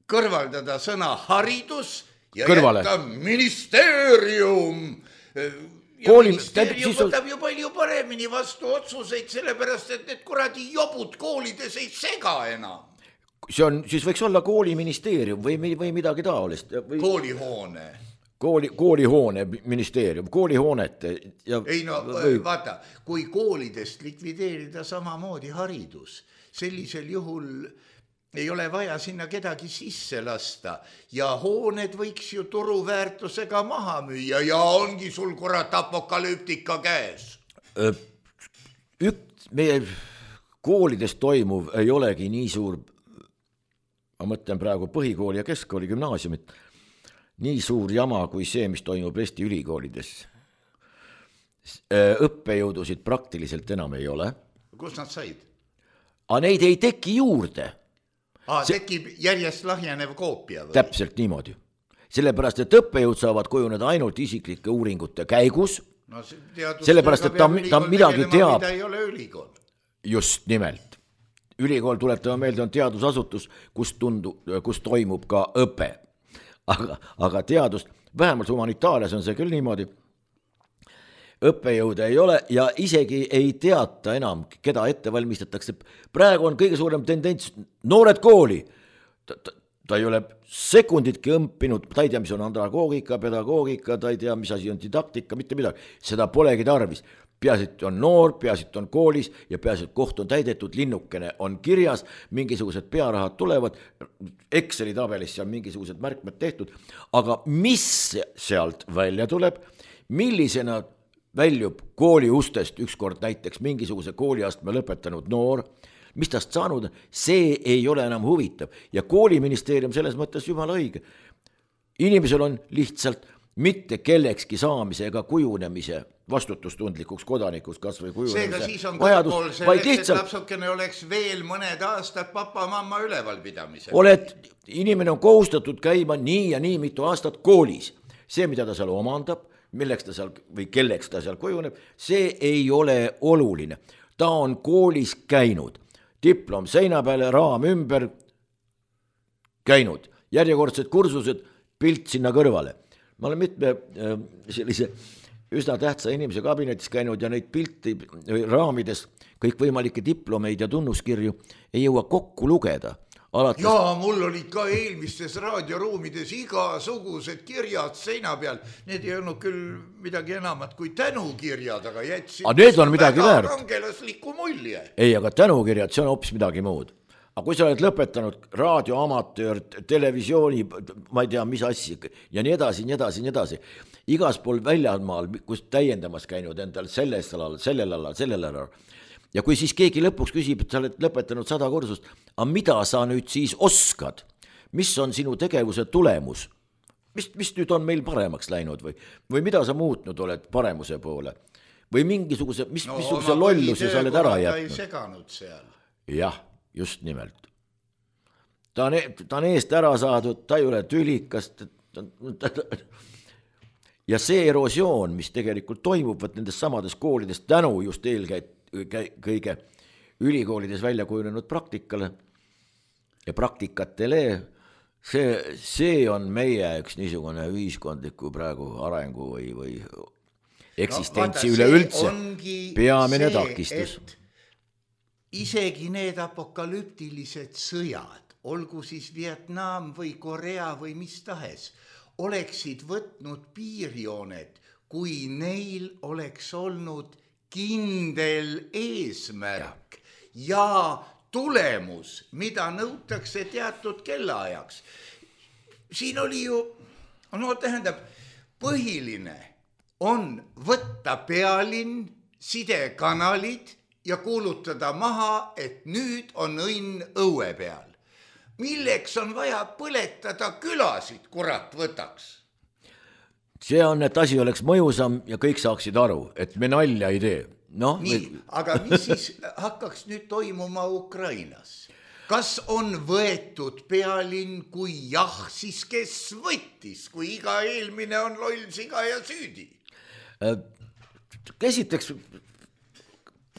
kõrvaldada sõna haridus ja
kõrvale.
Jätta ministeerium. Ja Kooli, ministeerium siis... võtab ju palju paremini vastu otsuseid, sellepärast, et need kuradi jobud koolides ei sega enam.
See on, siis võiks olla kooliministeerium või, või midagi taolist. Või...
Koolihoone.
kooli, koolihoone ministeerium, koolihoonete ja
ei no või... vaata, kui koolidest likvideerida samamoodi haridus, sellisel juhul ei ole vaja sinna kedagi sisse lasta ja hooned võiks ju turuväärtusega maha müüa ja ongi sul kurat apokalüptika käes.
Üks meie koolides toimuv ei olegi nii suur, ma mõtlen praegu põhikooli ja keskkooli gümnaasiumit, nii suur jama kui see, mis toimub Eesti ülikoolides. Õppejõudusid praktiliselt enam ei ole.
Kus nad said?
Aga neid ei teki juurde.
Ah, see... tekib järjest lahjanev koopia või?
Täpselt niimoodi. Sellepärast, et õppejõud saavad kujuneda ainult isiklike uuringute käigus.
No,
sellepärast, et ta, ta midagi teab.
Ei ole ülikool.
Just nimelt. Ülikool tuletama meelde on teadusasutus, kus, tundu, kus toimub ka õpe. Aga, aga teadus, vähemalt humanitaarias on see küll niimoodi, õppejõude ei ole ja isegi ei teata enam, keda ette valmistatakse. Praegu on kõige suurem tendents, noored kooli, ta, ta, ta ei ole sekunditki õmpinud, ta ei tea, mis on andragoogika, pedagoogika, ta ei tea, mis asi on didaktika, mitte midagi, seda polegi tarvis. Peaasi, on noor, peaasi, on koolis ja peaasi, koht on täidetud, linnukene on kirjas, mingisugused pearahad tulevad, Exceli tabelis seal mingisugused märkmed tehtud, aga mis sealt välja tuleb, millisena väljub kooli ustest ükskord näiteks mingisuguse kooliastme lõpetanud noor, mis tast saanud, see ei ole enam huvitav ja kooliministeerium selles mõttes jumala õige. Inimesel on lihtsalt mitte kellekski saamise ega kujunemise vastutustundlikuks kodanikuks kas või kujunemise
seega siis on
vajadus,
kõrgpool selleks, lihtsalt... et lapsukene oleks veel mõned aastad papa-mamma ülevalpidamisel.
Oled, inimene on kohustatud käima nii ja nii mitu aastat koolis. See, mida ta seal omandab, milleks ta seal või kelleks ta seal kujuneb, see ei ole oluline. Ta on koolis käinud, diplom seina peale, raam ümber käinud, järjekordsed kursused, pilt sinna kõrvale. Ma olen mitme sellise üsna tähtsa inimese kabinetis käinud ja neid pilti raamides kõikvõimalikke diplomeid ja tunnuskirju ei jõua kokku lugeda. Alates...
Jaa, mul olid ka eelmistes raadioruumides igasugused kirjad seina peal. Need ei olnud küll midagi enamat kui tänukirjad, aga jätsid
aga need on midagi
väga
väärt.
Kangelaslikku mulje.
Ei, aga tänukirjad, see on hoopis midagi muud. Aga kui sa oled lõpetanud raadioamatöör, televisiooni, ma ei tea, mis asja ja nii edasi, nii edasi, nii edasi. Igas pool väljamaal, kus täiendamas käinud endal selles alal, sellel alal, sellel alal. Ja kui siis keegi lõpuks küsib, et sa oled lõpetanud sada kursust, aga mida sa nüüd siis oskad? Mis on sinu tegevuse tulemus? Mis, mis nüüd on meil paremaks läinud või, või mida sa muutnud oled paremuse poole? Või mingisuguse, mis, no, missuguse lolluse sa oled ära jätnud?
Ta ei seganud seal.
Jah, just nimelt. Ta on, ta on eest ära saadud, ta ei ole tülikast. Ja see erosioon, mis tegelikult toimub nendes samades koolides tänu just eelkäit kõige ülikoolides välja kujunenud praktikale ja praktikatele, see, see on meie üks niisugune ühiskondliku praegu arengu või, või eksistentsi no, üleüldse peamine takistus.
Isegi need apokalüptilised sõjad, olgu siis Vietnam või Korea või mis tahes, oleksid võtnud piirjooned, kui neil oleks olnud kindel eesmärk ja tulemus, mida nõutakse teatud kellaajaks. Siin oli ju, no tähendab, põhiline on võtta pealinn, sidekanalid ja kuulutada maha, et nüüd on õnn õue peal. Milleks on vaja põletada külasid, kurat võtaks?
See on, et asi oleks mõjusam ja kõik saaksid aru, et me nalja ei tee. No,
nii,
me...
aga mis siis hakkaks nüüd toimuma Ukrainas? Kas on võetud pealinn, kui jah, siis kes võttis, kui iga eelmine on loll siga ja süüdi?
Esiteks,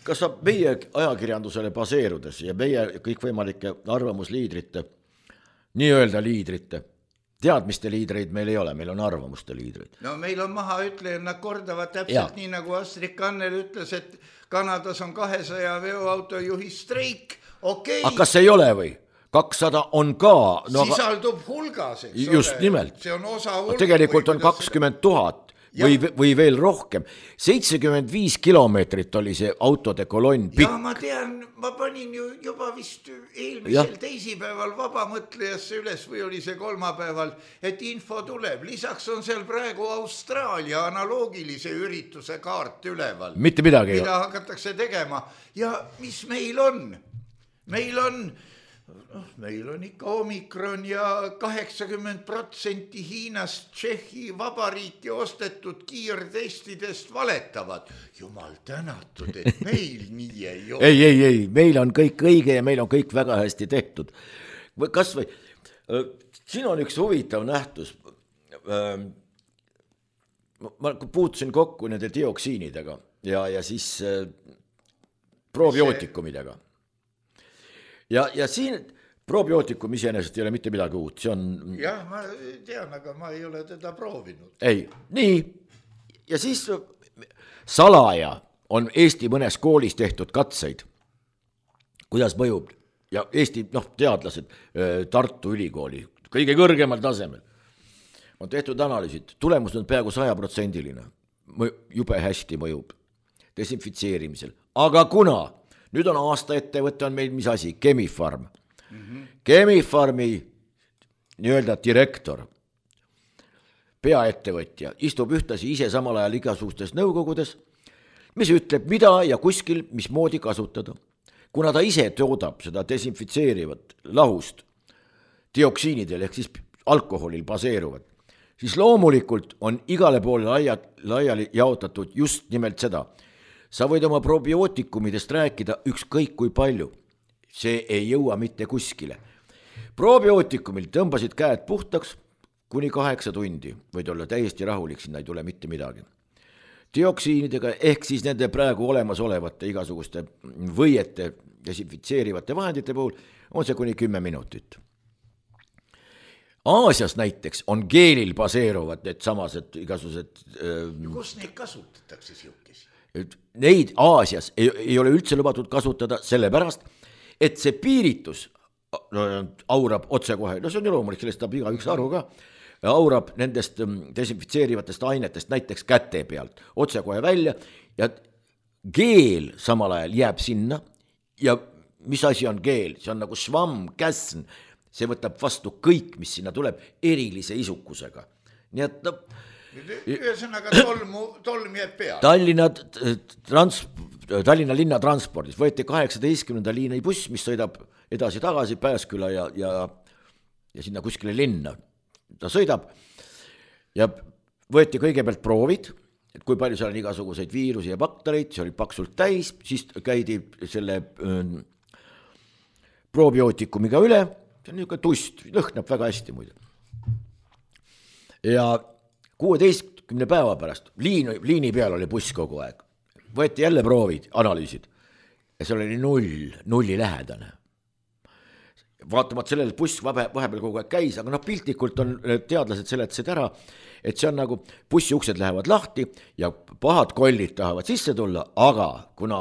kas saab meie ajakirjandusele baseerudes ja meie kõikvõimalike arvamusliidrite, nii-öelda liidrite, teadmiste liidreid meil ei ole, meil on arvamuste liidreid.
No meil on maha ütleja, nad kordavad täpselt ja. Nii nagu Astrid Kannel ütles, et Kanadas on kahesaja veoautojuhi streik, okei.
Aga kas ei ole või? kakssada on ka
no, sisaldub hulgas, eks
just
ole.
Nimelt.
See on osa hulga.
Tegelikult on kakskümmend tuhat või, või veel rohkem. seitsekümmend viis kilomeetrit oli see autode kolonn pikk.
Ja ma tean, ma panin ju juba vist eelmisel ja. teisipäeval vabamõtlejasse üles või oli see kolmapäeval, et info tuleb. Lisaks on seal praegu Austraalia analoogilise ürituse kaart üleval.
Mitte midagi.
Mida hakatakse tegema. Ja mis meil on? Meil on... No, meil on ikka omikron ja kaheksakümmend protsenti Hiinast Tšehhi vabariiki ostetud kiirtestidest valetavad. Jumal tänatud, et meil nii ei ole.
ei, ei, ei, meil on kõik õige ja meil on kõik väga hästi tehtud. Kas või, siin on üks huvitav nähtus. Ma puutusin kokku nende dioksiinidega ja, ja siis probiootikumidega. Ja, ja siin probiootikum iseenesest ei ole mitte midagi uut, see on...
Jah, ma tean, aga ma ei ole teda proovinud.
Ei, nii. Ja siis salaja on Eesti mõnes koolis tehtud katseid, kuidas mõjub. Ja Eesti noh, teadlased Tartu Ülikooli, kõige kõrgemal tasemel, on tehtud analüüsid. Tulemus on peaaegu sajaprotsendiline. Jube hästi mõjub desinfitseerimisel. Aga kuna... Nüüd on aasta ettevõte on meil mis asi, Chemi-Pharm. Mm-hmm. Chemi-Pharmi nii-öelda direktor, peaettevõtja, istub ühtasi ise samal ajal igasugustes nõukogudes, mis ütleb, mida ja kuskil, mismoodi kasutada. Kuna ta ise toodab seda desinfitseerivat lahust dioksiinidel ehk siis alkoholil baseeruvad, siis loomulikult on igale poole laiali jaotatud just nimelt seda. Sa võid oma probiootikumidest rääkida ükskõik kui palju. See ei jõua mitte kuskile. Probiootikumil tõmbasid käed puhtaks kuni kaheksa tundi. Võid olla täiesti rahulik, sinna ei tule mitte midagi. Dioksiinidega ehk siis nende praegu olemas olevate igasuguste võiete desinfitseerivate vahendite puhul on see kuni kümme minutit. Aasias näiteks on geelil baseeruvad need samased igasugused...
Ja kus neid kasutatakse siukesi?
Neid Aasias ei, ei ole üldse lubatud kasutada sellepärast, et see piiritus no, aurab otsekohe, no see on ju loomulik, sellest saab iga üks aru ka, aurab nendest desinfitseerivatest ainetest näiteks käte pealt otsekohe välja ja geel samal ajal jääb sinna ja mis asi on geel? See on nagu švamm, käsn, see võtab vastu kõik, mis sinna tuleb erilise isukusega. Nii et no,
ühesõnaga tolmu, tolm jääb peale.
Tallinna, trans, Tallinna linna transpordis võeti kaheksateistkümnenda liini buss, mis sõidab edasi-tagasi Pääsküla ja, ja, ja sinna kuskile linna. Ta sõidab ja võeti kõigepealt proovid, et kui palju seal on igasuguseid viirusi ja baktereid, see oli paksult täis, siis käidi selle äh, probiootikumega üle, see on niisugune tust, lõhnab väga hästi muide. Ja kuueteistkümne päeva pärast, liin, liini peal oli buss kogu aeg, võeti jälle proovid, analüüsid ja seal oli null, nulli lähedane. Vaatamat sellele buss vahepeal kogu aeg käis, aga noh, piltlikult on teadlased seletasid ära, et see on nagu bussi uksed lähevad lahti ja pahad kollid tahavad sisse tulla, aga kuna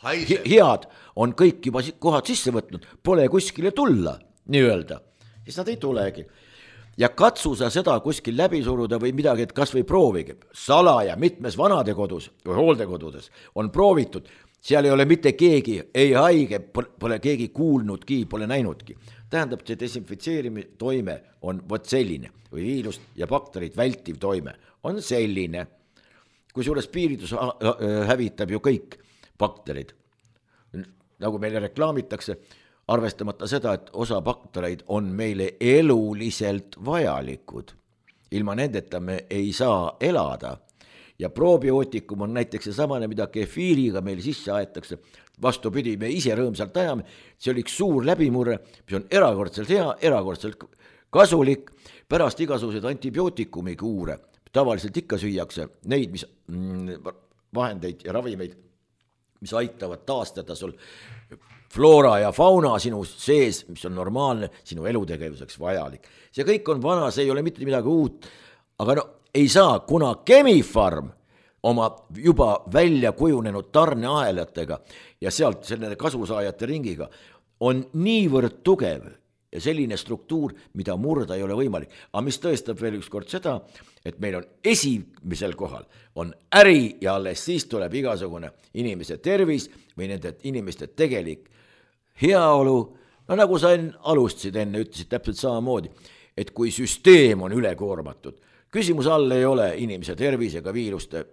Haiseb. head on kõik juba kohad sisse võtnud, pole kuskile tulla, nii öelda, siis nad ei tulegi. Ja katsu sa seda kuskil läbi suruda või midagi, et kas või proovige. Salaja mitmes vanade kodus või hooldekodudes on proovitud, seal ei ole mitte keegi, ei haige, pole keegi kuulnudki, pole näinudki. Tähendab, see desinfitseerimise toime on võt selline või viirust ja bakterid vältiv toime on selline. Kui suures piiritus hävitab ju kõik bakterid. Nagu meile reklaamitakse, arvestamata seda, et osa baktereid on meile eluliselt vajalikud. Ilma nendeta me ei saa elada. Ja probiootikum on näiteks see samane, mida kefiiriga meil sisse aetakse. Vastupidi, me ise rõõmsalt ajame. See oli üks suur läbimurre, mis on erakordselt hea, erakordselt kasulik. Pärast igasuguseid antibiootikumi kuure. Tavaliselt ikka süüakse neid mis, vahendeid ja ravimeid, mis aitavad taastada sul floora ja fauna sinu sees, mis on normaalne, sinu elutegevuseks vajalik. See kõik on vana, see ei ole mitte midagi uut, aga no ei saa, kuna Chemi-Pharm oma juba välja kujunenud tarneahelatega ja sealt selle kasusaajate ringiga on niivõrd tugev ja selline struktuur, mida murda ei ole võimalik. Aga mis tõestab veel üks kord seda, et meil on esimesel kohal on äri ja alles siis tuleb igasugune inimese tervis või nende inimeste tegelik heaolu. No nagu sa alustasid enne, ütlesid täpselt samamoodi, et kui süsteem on ülekoormatud, küsimus all ei ole inimese tervisega viiruste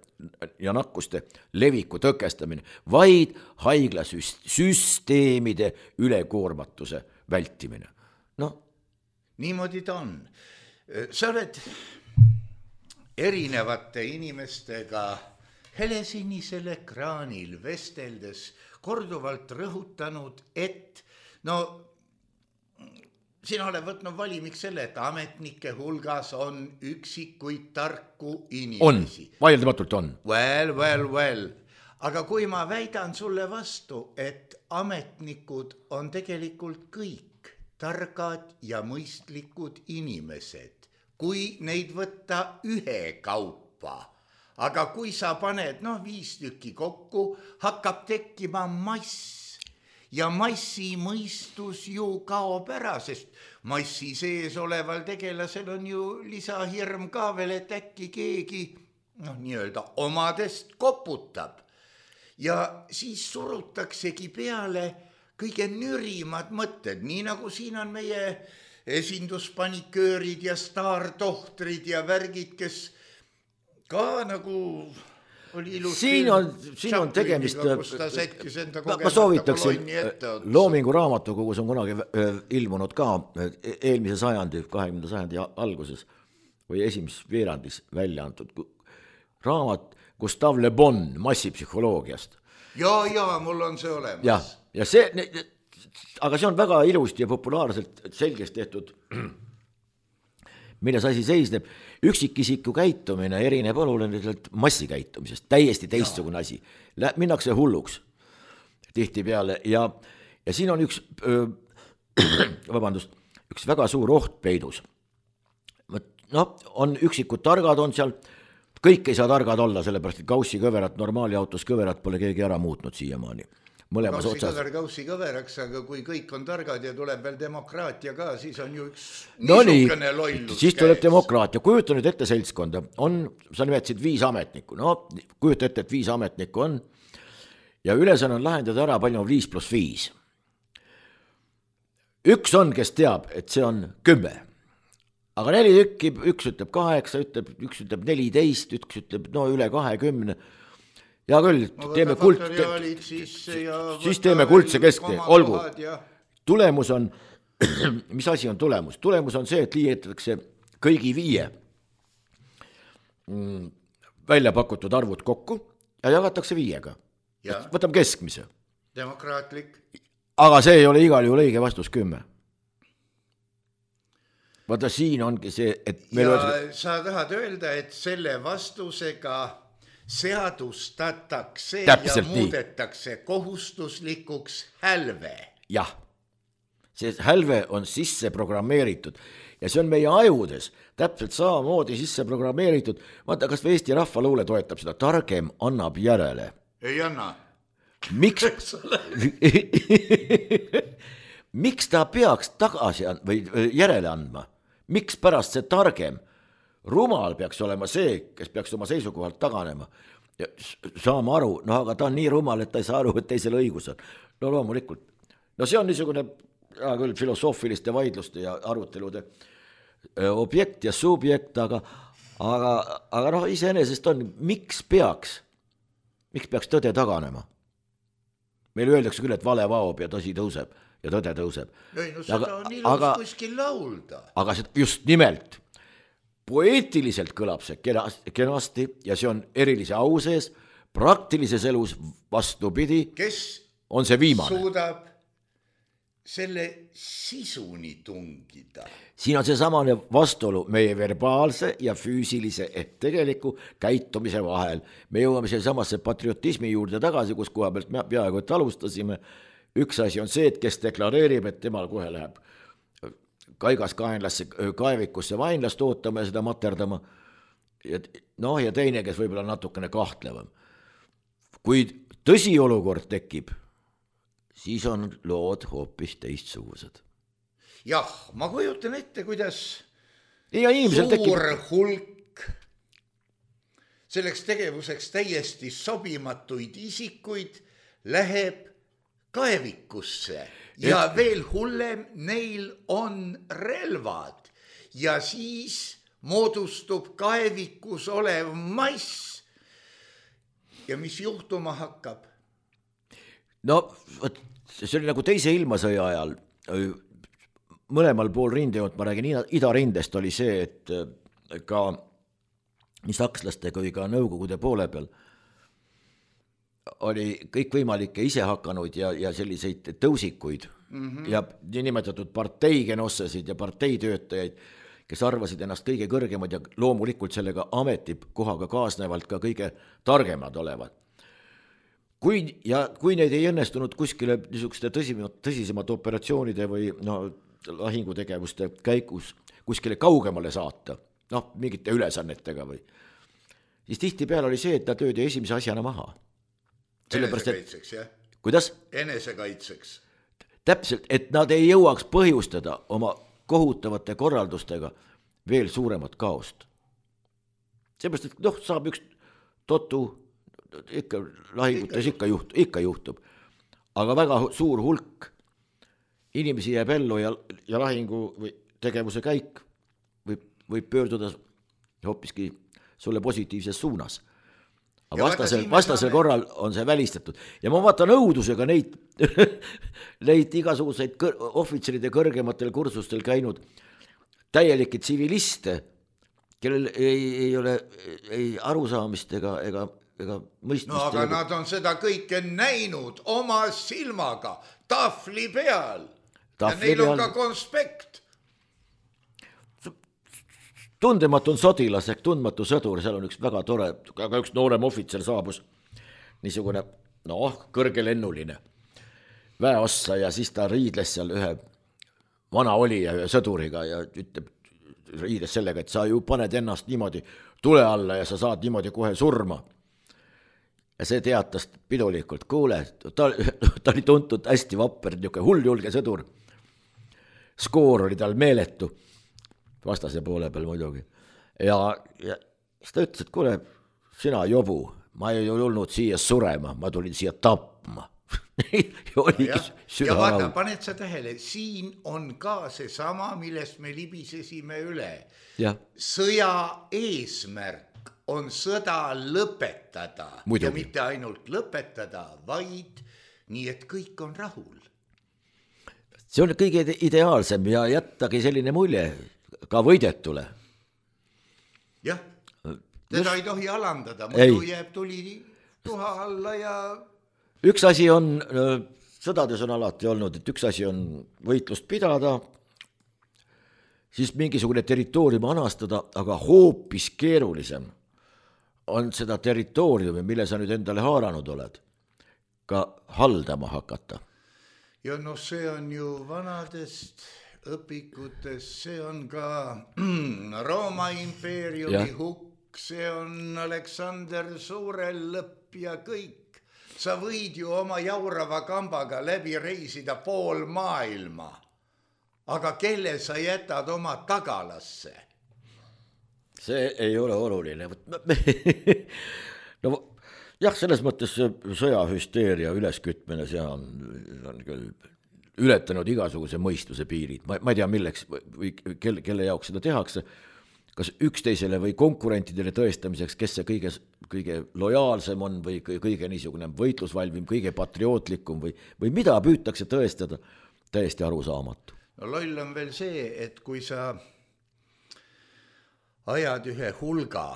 ja nakkuste leviku tõkestamine, vaid haiglasüsteemide ülekoormatuse vältimine. No.
Niimoodi ta on. Sa oled erinevate inimestega helesinisel ekraanil vesteldes korduvalt rõhutanud, et no sina oled võtnud valimiks selle, et ametnike hulgas on üksikuid tarku inimesi.
On, vaieldamatult on.
Well, well, well. Aga kui ma väidan sulle vastu, et ametnikud on tegelikult kõik targad ja mõistlikud inimesed, kui neid võtta ühe kaupa, aga kui sa paned noh, viis tükki kokku, hakkab tekkima mass. Ja massi mõistus ju kaob ära, sest massi sees oleval tegelasel on ju lisahirm ka veel, et äkki keegi noh, nii-öelda omadest koputab. Ja siis surutaksegi peale kõige nürimad mõtted, nii nagu siin on meie esinduspaniköörid ja staartohtrid ja värgid, kes ka nagu...
Siin on, siin on tegemist, ma, ma soovitaksin, Loomingu raamatukogus on kunagi ilmunud ka eelmise sajandi, kahekümnenda sajandi alguses või esimeses veerandis välja antud raamat Gustave Le Bon massipsühholoogiast.
Ja, ja, mul on see olemas.
Ja, ja see, aga see on väga ilusti ja populaarselt selgeks tehtud, milles asi seisneb. Üksikisiku käitumine erineb oluliselt massikäitumisest, täiesti teistsugune asi. Minnakse hulluks tihti peale ja, ja siin on üks, öö, vabandust, üks väga suur oht peidus. No, on üksikud targad on seal, kõik ei saa targad olla, sellepärast et kaussi kõverat, normaali autos kõverat pole keegi ära muutnud siiamaani. Mõlemas
kaussi
otsas.
kõver kaussi kõveraks, aga kui kõik on targad ja tuleb veel demokraatia ka, siis on ju üks
no
niisugune
nii,
lollus.
Siis tuleb demokraatia. Kujuta nüüd ette seltskonda. On, sa nimetasid viis ametnikku. No, kujuta ette, et viis ametnikku on. Ja ülesanne on lahendada ära, palju on viis pluss viis. Üks on, kes teab, et see on kümme. Aga neli tükki, üks ütleb kaheksa, ütleb, üks ütleb neliteist, üks ütleb no üle kahekümne. Ja küll, teeme kult,
siis,
siis teeme kuldse keskne, olgu. Ja... Tulemus on, mis asi on tulemus? Tulemus on see, et liidetakse kõigi viie välja pakutud arvud kokku ja jagatakse viiega. Ja. Võtame keskmise.
Demokraatlik.
Aga see ei ole igal juhul õige vastus kümme. Vaata, siin ongi see, et...
Meil ja on... sa tahad öelda, et selle vastusega... seadustatakse
Täpselt
ja muudetakse nii. Kohustuslikuks hälve.
Jah, see hälve on sisse programmeeritud ja see on meie ajudes täpselt samamoodi sisse programmeeritud. Vaata, kas Eesti rahvaluule toetab seda, targem annab järele.
Ei anna.
Miks, miks ta peaks tagasi and- või järele andma? Miks pärast see targem? Rumal peaks olema see, kes peaks oma seisukohalt taganema. Ja saame aru, no aga ta on nii rumal, et ta ei saa aru, et teisel õigus on. No loomulikult. No see on niisugune ja küll filosoofiliste vaidluste ja arutelude objekt ja subjekt, aga, aga, aga noh, iseenesest on, miks peaks, miks peaks tõde taganema? Meil öeldakse küll, et vale vaob ja tõsi tõuseb ja tõde tõuseb.
Ei, no seda aga, on ilus aga, kuskil laulda.
Aga just nimelt, poeetiliselt kõlab see kenasti ja see on erilise au sees, praktilises elus vastupidi,
kes
on see viimane.
Suudab selle sisuni tungida.
Siin on see samane vastuolu meie verbaalse ja füüsilise ehk tegeliku käitumise vahel. Me jõuame selle samasse patriotismi juurde tagasi, kus koha pealt me peaaegu et alustasime. Üks asi on see, et kes deklareerib, et temal kohe läheb kaigas kaenlasse, kaevikusse vainlast ootama ja seda materdama. Ja, noh, ja teine, kes võib-olla natukene kahtlevam. Kui tõsi olukord tekib, siis on lood hoopis teistsugused.
Jah, ma kujutan ette, kuidas
ja suur
tekib... hulk selleks tegevuseks täiesti sobimatuid isikuid läheb kaevikusse ja, ja veel hullem, neil on relvad ja siis moodustub kaevikus olev mass ja mis juhtuma hakkab?
No võt, see oli nagu teise ilmasõja ajal, mõlemal pool rindejoont, ma räägin idarindest, oli see, et ka nii sakslaste kui ka nõukogude poole peal oli kõikvõimalikke isehakanud ja, ja selliseid tõusikuid mm-hmm. ja niinimetatud parteigenossesid ja parteitöötajaid, kes arvasid ennast kõige kõrgemad ja loomulikult sellega ametikohaga kaasnevalt ka kõige targemad olevat. Kui, ja kui neid ei õnnestunud kuskile niisuguste tõsisemad, tõsisemad operatsioonide või no, lahingutegevuste käigus kuskile kaugemale saata, noh, mingite ülesannetega või, siis tihti peal oli see, et ta töödi esimese asjana maha.
Enesekaitseks, jah?
Kuidas?
Enesekaitseks.
Täpselt, et nad ei jõuaks põhjustada oma kohutavate korraldustega veel suuremat kaost. Seepärast, et noh, saab üks totu, ikka lahingutes ikka, juht, ikka juhtub, aga väga suur hulk inimesi jääb ellu ja, ja lahingu või tegevuse käik võib, võib pöörduda hoopiski sulle positiivses suunas. Aga vastasel, vastasel saame... korral on see välistatud. Ja ma vaatan õudusega neid, neid igasuguseid kõr, ohvitseride kõrgematel kursustel käinud täielikke tsiviliste, kellel ei, ei ole ei arusaamist ega, ega, ega mõistmist.
No aga ega... nad on seda kõike näinud oma silmaga, tahvli peal. Tahvli ja neil on peal... ka konspekt.
Tundematu on sodilas ehk tundmatu sõdur, seal on üks väga tore, aga üks noorem ohvitser saabus, niisugune, noh, kõrgelennuline väeossa ja siis ta riidles seal ühe vana olija ühe sõduriga ja ütleb, riides sellega, et sa ju paned ennast niimoodi tule alla ja sa saad niimoodi kohe surma. Ja see teatas pidulikult, kuule, ta, ta oli tuntud hästi vapper, niisugune hulljulge sõdur. Skoor oli tal meeletu. Vastase poole peal muidugi. Ja, ja siis ta ütles, et kuule, sina jobu, ma ei olnud siia surema, ma tulin siia tapma.
ja, ja vaata, paned sa tähele, siin on ka see sama, millest me libisesime üle.
Ja.
Sõja eesmärk on sõda lõpetada muidugi. Ja mitte ainult lõpetada, vaid nii, et kõik on rahul.
See on kõige ideaalsem ja jättagi selline mulje ka võidetule.
Jah, teda Just... ei tohi alandada, muidu jääb tuli tuha alla ja...
Üks asi on, sõdades on alati olnud, et üks asi on võitlust pidada, siis mingisugune territoorium anastada, aga hoopis keerulisem on seda territooriumi, mille sa nüüd endale haaranud oled, ka haldama hakata.
Ja no see on ju vanadest... õpikutes, see on ka Rooma impeeriumi ja. Hukk, see on Aleksander Suurel lõpp ja kõik. Sa võid ju oma jaurava kambaga läbi reisida pool maailma, aga kelle sa jätad oma tagalasse?
See ei ole oluline. no jah, selles mõttes sõjahüsteeria üleskütmine, see on, on küll ületanud igasuguse mõistuse piirid. Ma, ma ei tea, milleks või kelle, kelle jaoks seda tehakse, kas üksteisele või konkurentidele tõestamiseks, kes see kõige, kõige lojaalsem on või kõige niisugune võitlusvalvim, kõige patriootlikum või, või mida püütakse tõestada, täiesti arusaamatu.
No loll on veel see, et kui sa ajad ühe hulga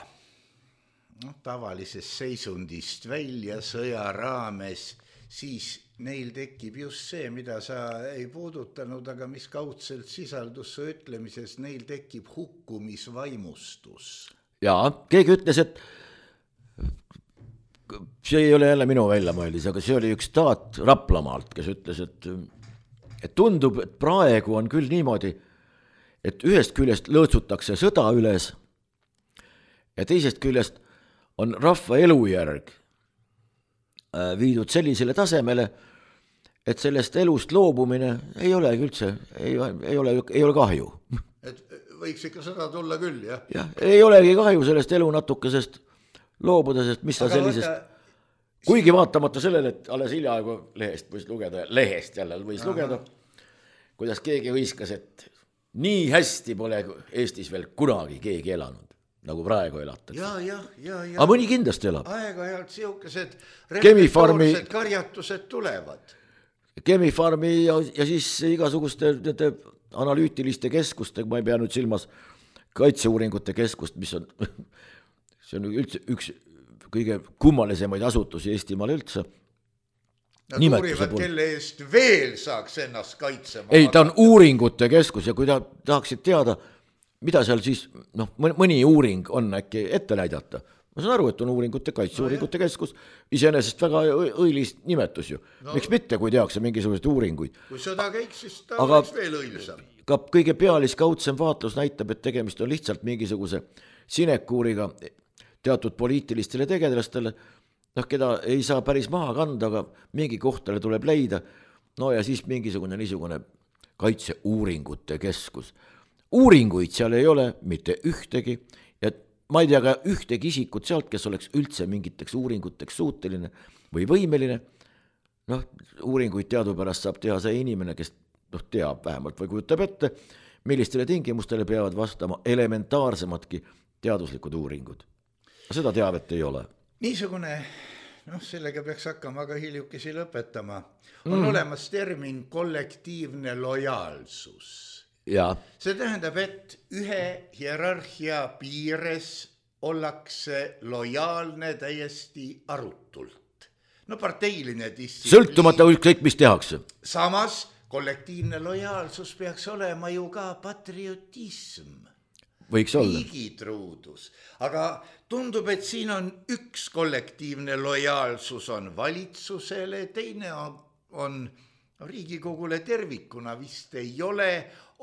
no, tavalisest seisundist välja sõja raames, siis neil tekib just see, mida sa ei puudutanud, aga mis kaudselt sisaldus su ütlemises, neil tekib hukkumisvaimustus.
Jaa, keegi ütles, et see ei ole jälle minu väljamõeldis, aga see oli üks taat Raplamaalt, kes ütles, et, et tundub, et praegu on küll niimoodi, et ühest küljest lõõtsutakse sõda üles ja teisest küljest on rahva elujärg viidud sellisele tasemele, et sellest elust loobumine ei ole üldse, ei, ei, ole, ei ole kahju.
Et võiks ikka seda tulla küll, jah?
Jah, ei olegi kahju sellest elu natukesest loobuda, sest mis ta sellisest, võtta... kuigi vaatamata sellele, et alles hiljaaegu lehest võis lugeda, lehest jälle võis Aha. lugeda, kuidas keegi hõiskas, et nii hästi pole Eestis veel kunagi keegi elanud, nagu praegu elatakse.
Ja, ja, ja, ja.
Aga mõni kindlasti elab.
Aeg-ajalt siukesed reflektoorset karjatused tulevad.
Chemi-Farmi ja, ja siis igasuguste nende analüütiliste keskuste, ma ei pea nüüd silmas kaitseuuringute keskust, mis on, see on üldse üks kõige kummalisemaid asutusi Eestimaal üldse.
Nad uurivad, kelle eest veel saaks ennast kaitsema.
Ei, ta on uuringute keskus ja kui ta tahaksid teada, mida seal siis, noh, mõni uuring on äkki ette näidata. Ma saan aru, et on uuringute, kaitseuuringute no, keskus, iseenesest väga õilis nimetus ju. No, miks mitte, kui tehakse mingisuguseid uuringuid.
Kui seda käiks, siis ta aga oleks veel õilisam.
Ka kõige pealiskaudsem vaatlus näitab, et tegemist on lihtsalt mingisuguse sinekuuriga teatud poliitilistele tegelastele, noh, keda ei saa päris maha kanda, aga mingi kohtale tuleb leida, no ja siis mingisugune niisugune kaitseuuringute keskus. Uuringuid seal ei ole mitte ühtegi ja ma ei tea ka ühtegi isikut sealt, kes oleks üldse mingiteks uuringuteks suuteline või võimeline. Noh, uuringuid teadupärast saab teha see inimene, kes noh, teab vähemalt või kujutab ette, millistele tingimustele peavad vastama elementaarsematki teaduslikud uuringud. Seda teavet ei ole.
Niisugune, noh, sellega peaks hakkama aga hiljukesi lõpetama. On mm. olemas termin kollektiivne lojaalsus.
Ja.
See tähendab, et ühe hierarhia piires ollakse lojaalne täiesti arutult. No parteiline distsipliin.
Sõltumata ükskõik, mis tehakse.
Samas kollektiivne lojaalsus peaks olema ju ka patriotism.
Võiks olla.
Riigitruudus. Aga tundub, et siin on üks kollektiivne lojaalsus on valitsusele, teine on, on Riigikogule tervikuna vist ei ole,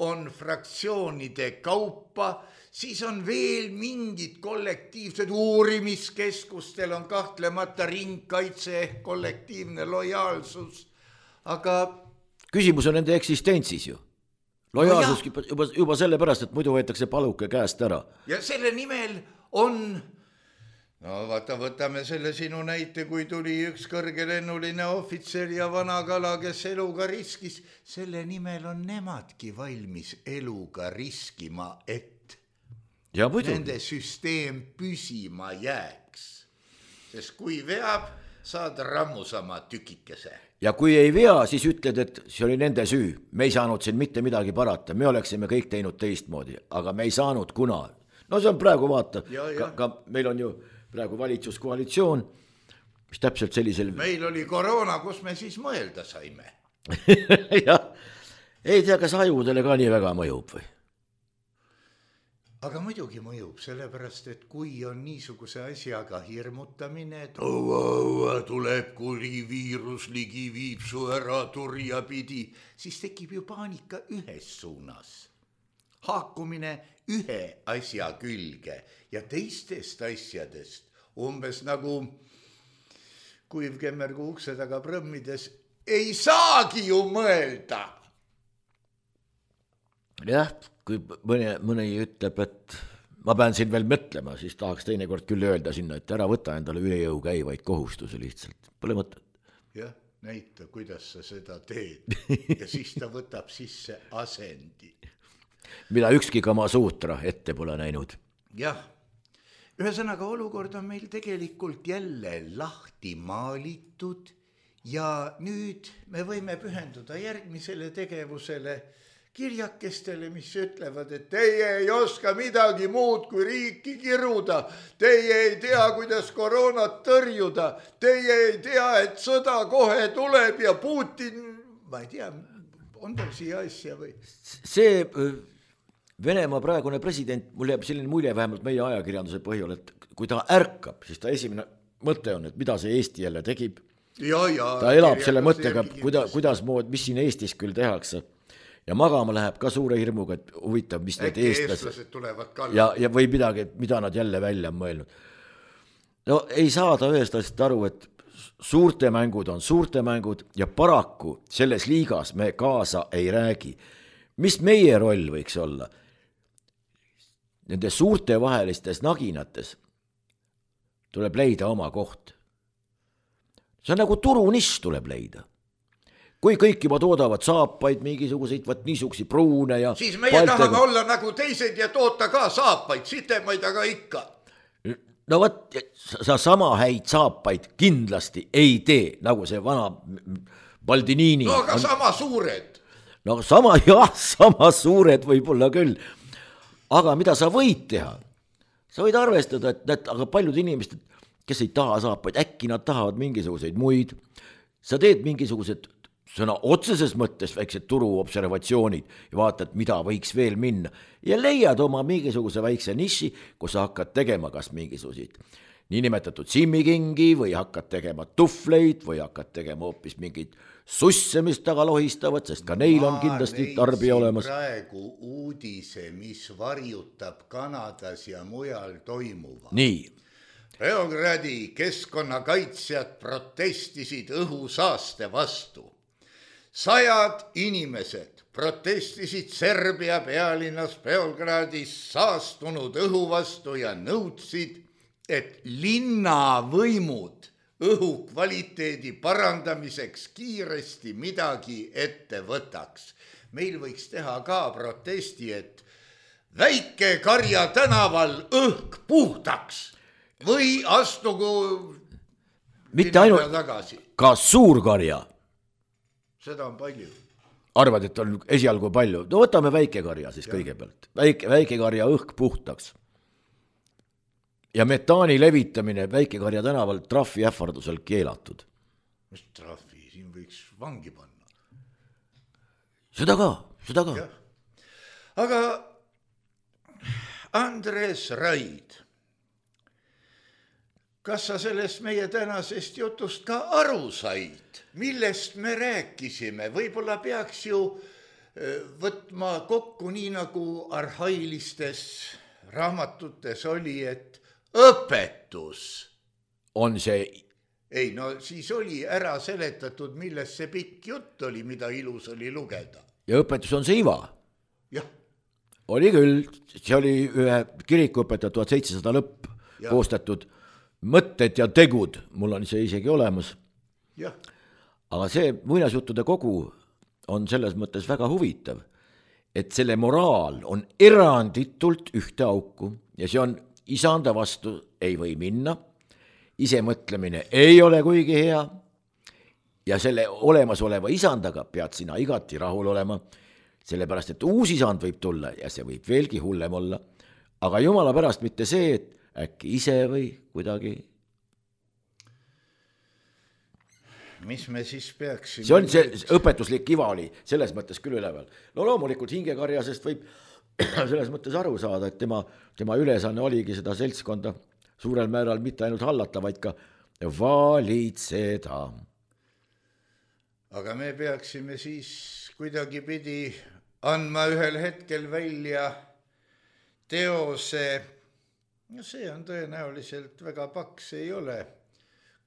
on fraktsioonide kaupa, siis on veel mingid kollektiivsed uurimiskeskustel on kahtlemata ringkaitse ehk kollektiivne lojaalsus, aga
küsimus on nende eksistentsis ju. Lojaalsus no juba, juba selle pärast, et muidu võetakse paluke käest ära.
Ja selle nimel on, no vaata, võtame selle sinu näite, kui tuli üks kõrgelennuline ohvitser ja vana kala, kes eluga riskis, selle nimel on nemadki valmis eluga riskima, et
ja
nende süsteem püsima jääks. Sest kui veab, saad rammusama tükikese.
Ja kui ei vea, siis ütled, et see oli nende süü. Me ei saanud siin mitte midagi parata. Me oleksime kõik teinud teistmoodi, aga me ei saanud kuna. No see on praegu vaata. Ja, ja. Ka, ka meil on ju praegu valitsuskoalitsioon, mis täpselt sellisel...
Meil oli koroona, kus me siis mõelda saime.
Ja, ei tea, kas ajudele ka nii väga mõjub või?
Aga muidugi mõjub, sellepärast, et kui on niisuguse asjaga hirmutamine, et õua, õua, tuleb kuri viirus ligi viib su ära turja pidi, siis tekib ju paanika ühes suunas. Haakumine ühe asja külge ja teistest asjadest, umbes nagu kuivkemmergu ukse taga prõmmides, ei saagi ju mõelda.
Jah, kui mõni, mõni ütleb, et ma pean siin veel mõtlema, siis tahaks teinekord küll öelda sinna, et ära võta endale üle jõu käivaid kohustusi lihtsalt. Pole mõtet.
Jah, näita, kuidas sa seda teed. Ja siis ta võtab sisse asendi.
Mida ükski Kama Sutra ette pole näinud.
Jah, ühesõnaga olukord on meil tegelikult jälle lahti maalitud ja nüüd me võime pühenduda järgmisele tegevusele kirjakestele, mis ütlevad, et teie ei oska midagi muud kui riiki kiruda, teie ei tea, kuidas koroonat tõrjuda, teie ei tea, et sõda kohe tuleb ja Putin, ma ei tea, on tal siia asja või?
See Venemaa praegune president, mul jääb selline mulje vähemalt meie ajakirjanduse põhjal, et kui ta ärkab, siis ta esimene mõte on, et mida see Eesti jälle tegib.
Ja, ja,
ta elab selle mõttega, kuida, kuidas mood, mis siin Eestis küll tehakse. Ja magama läheb ka suure hirmuga, et huvitav, mis need eestlased
tulevad ka.
Ja, ja või midagi, mida nad jälle välja on mõelnud. No ei saa ta ühest asjast aru, et suurte mängud on suurte mängud ja paraku selles liigas me kaasa ei räägi. Mis meie roll võiks olla? Nende suurte vahelistes naginates tuleb leida oma koht. See on nagu turuniss tuleb leida. Kui kõik juba toodavad saapaid, mingisuguseid, võt niisugusi pruune ja...
Siis meie paltega... tahame olla nagu teised ja toota ka saapaid, sitemaid aga ikka.
No võt, sa sama häid saapaid kindlasti ei tee, nagu see vana Baldinini.
No aga on... sama suured.
No sama, jah, sama suured võib-olla küll. Aga mida sa võid teha? Sa võid arvestada, et, et aga paljud inimesed, kes ei taha saapaid, äkki nad tahavad mingisuguseid muid. Sa teed mingisugused sõna otseses mõttes väiksed turuobservatsioonid ja vaatad, mida võiks veel minna. Ja leiad oma mingisuguse väikse niši, kus sa hakkad tegema kas mingisuguseid niinimetatud simmikingi või hakkad tegema tufleid või hakkad tegema hoopis mingid susse, mis taga lohistavad, sest ka neil on kindlasti tarbija olemas.
Ma praegu uudise, mis varjutab Kanadas ja mujal toimuva.
Nii.
Beogradi keskkonnakaitsjad protestisid õhusaaste vastu. Sajad inimesed protestisid Serbia pealinnas Beogradis saastunud õhu vastu ja nõudsid, et linnavõimud õhu kvaliteedi parandamiseks kiiresti midagi ette võtaks. Meil võiks teha ka protesti, et Väike-Karja tänaval õhk puhtaks või astugu
mitte ainult tagasi. Ka Suur-Karja. Seda
on palju.
Arvad, et on esialgu palju. No võtame Väike-Karja siis ja. Kõigepealt. Väike, Väike-Karja õhk puhtaks. Ja metaani levitamine Väike-Karja tänaval trahvi ähvardusel keelatud.
Mis trahvi? Siin võiks vangi panna.
Seda ka, seda ka.
Ja. Aga Andres Raid, kas sa sellest meie tänasest jutust ka aru said? Millest me rääkisime? Võib-olla peaks ju võtma kokku nii nagu arhailistes raamatutes oli, et õpetus.
On see...
Ei, no siis oli ära seletatud, millest see pikk jutt oli, mida ilus oli lugeda.
Ja õpetus on see iva?
Jah.
Oli küll, see oli ühe kirikuõpetaja tuhat seitsesada lõpp ja. Koostatud mõtted ja tegud, mul on see isegi olemas.
Jah.
Aga see muinasjuttude kogu on selles mõttes väga huvitav, et selle moraal on eranditult ühte auku ja see on isanda vastu ei või minna, ise mõtlemine ei ole kuigi hea ja selle olemasoleva isandaga pead sina igati rahul olema, sellepärast et uus isand võib tulla ja see võib veelgi hullem olla, aga jumala pärast mitte see, et äkki ise või kuidagi.
Mis me siis peaksime...
See on see õpetuslik iva oli selles mõttes küll üleval. No loomulikult hingekarjasest võib selles mõttes aru saada, et tema, tema ülesanne oligi seda seltskonda suurel määral mitte ainult hallata, vaid ka valitseda.
Aga me peaksime siis kuidagi pidi andma ühel hetkel välja teose, no see on tõenäoliselt väga paks, ei ole,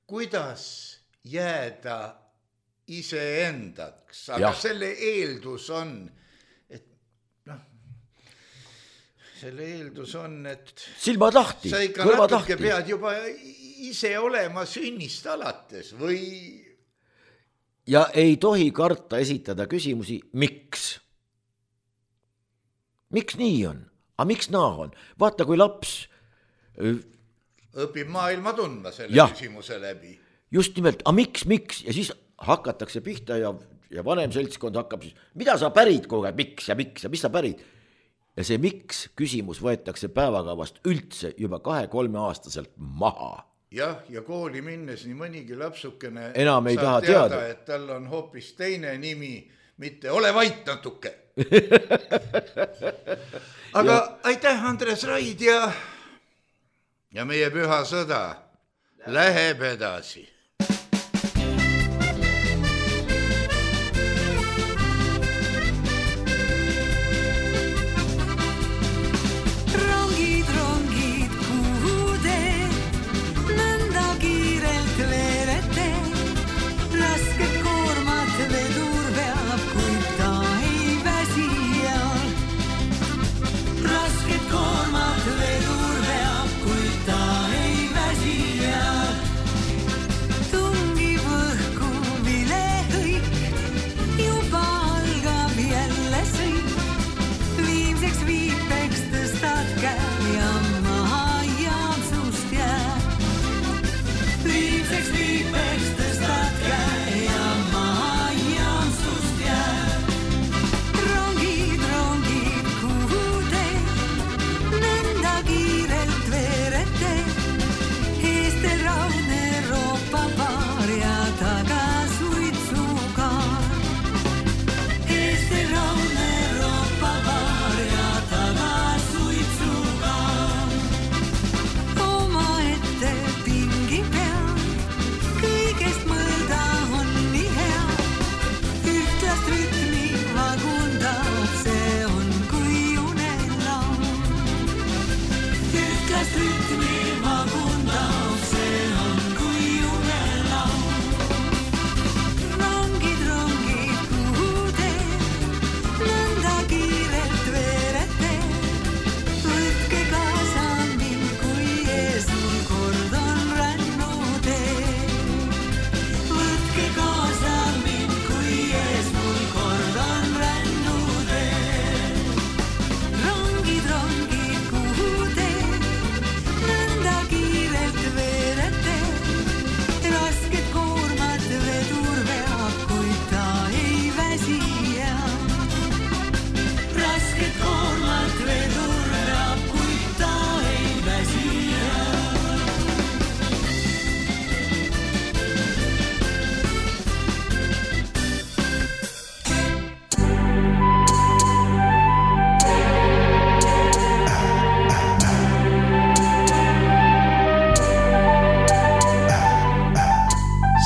kuidas jääda iseendaks, aga ja. Selle eeldus on, et noh, selle eeldus on, et
silmad lahti,
sa ikka natuke pead juba ise olema sünnist alates või
ja ei tohi karta esitada küsimusi, miks? Miks nii on? A miks naa on? Vaata, kui laps
õpib maailma tundma selle
ja.
Küsimuse läbi.
Just nimelt, a miks, miks? Ja siis hakatakse pihta ja, ja vanem seltskond hakkab siis, mida sa pärid kogu aeg, miks ja miks ja mis sa pärid? Ja see miks küsimus võetakse päevakavast üldse juba kahe-kolme aastaselt maha.
Jah, ja kooli minnes nii mõnigi lapsukene
enam ei taha teada, teada,
et tal on hoopis teine nimi, mitte ole vait natuke. Aga ja. Aitäh, Andres Raid ja, ja meie püha sõda läheb edasi.
Rongid, rongid, kuhu te nõnda kiirelt veerete?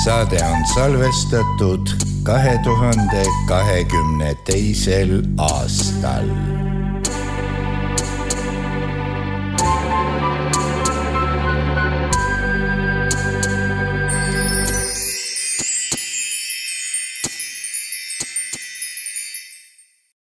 saade on salvestatud kahe tuhande kahekümne teisel aastal.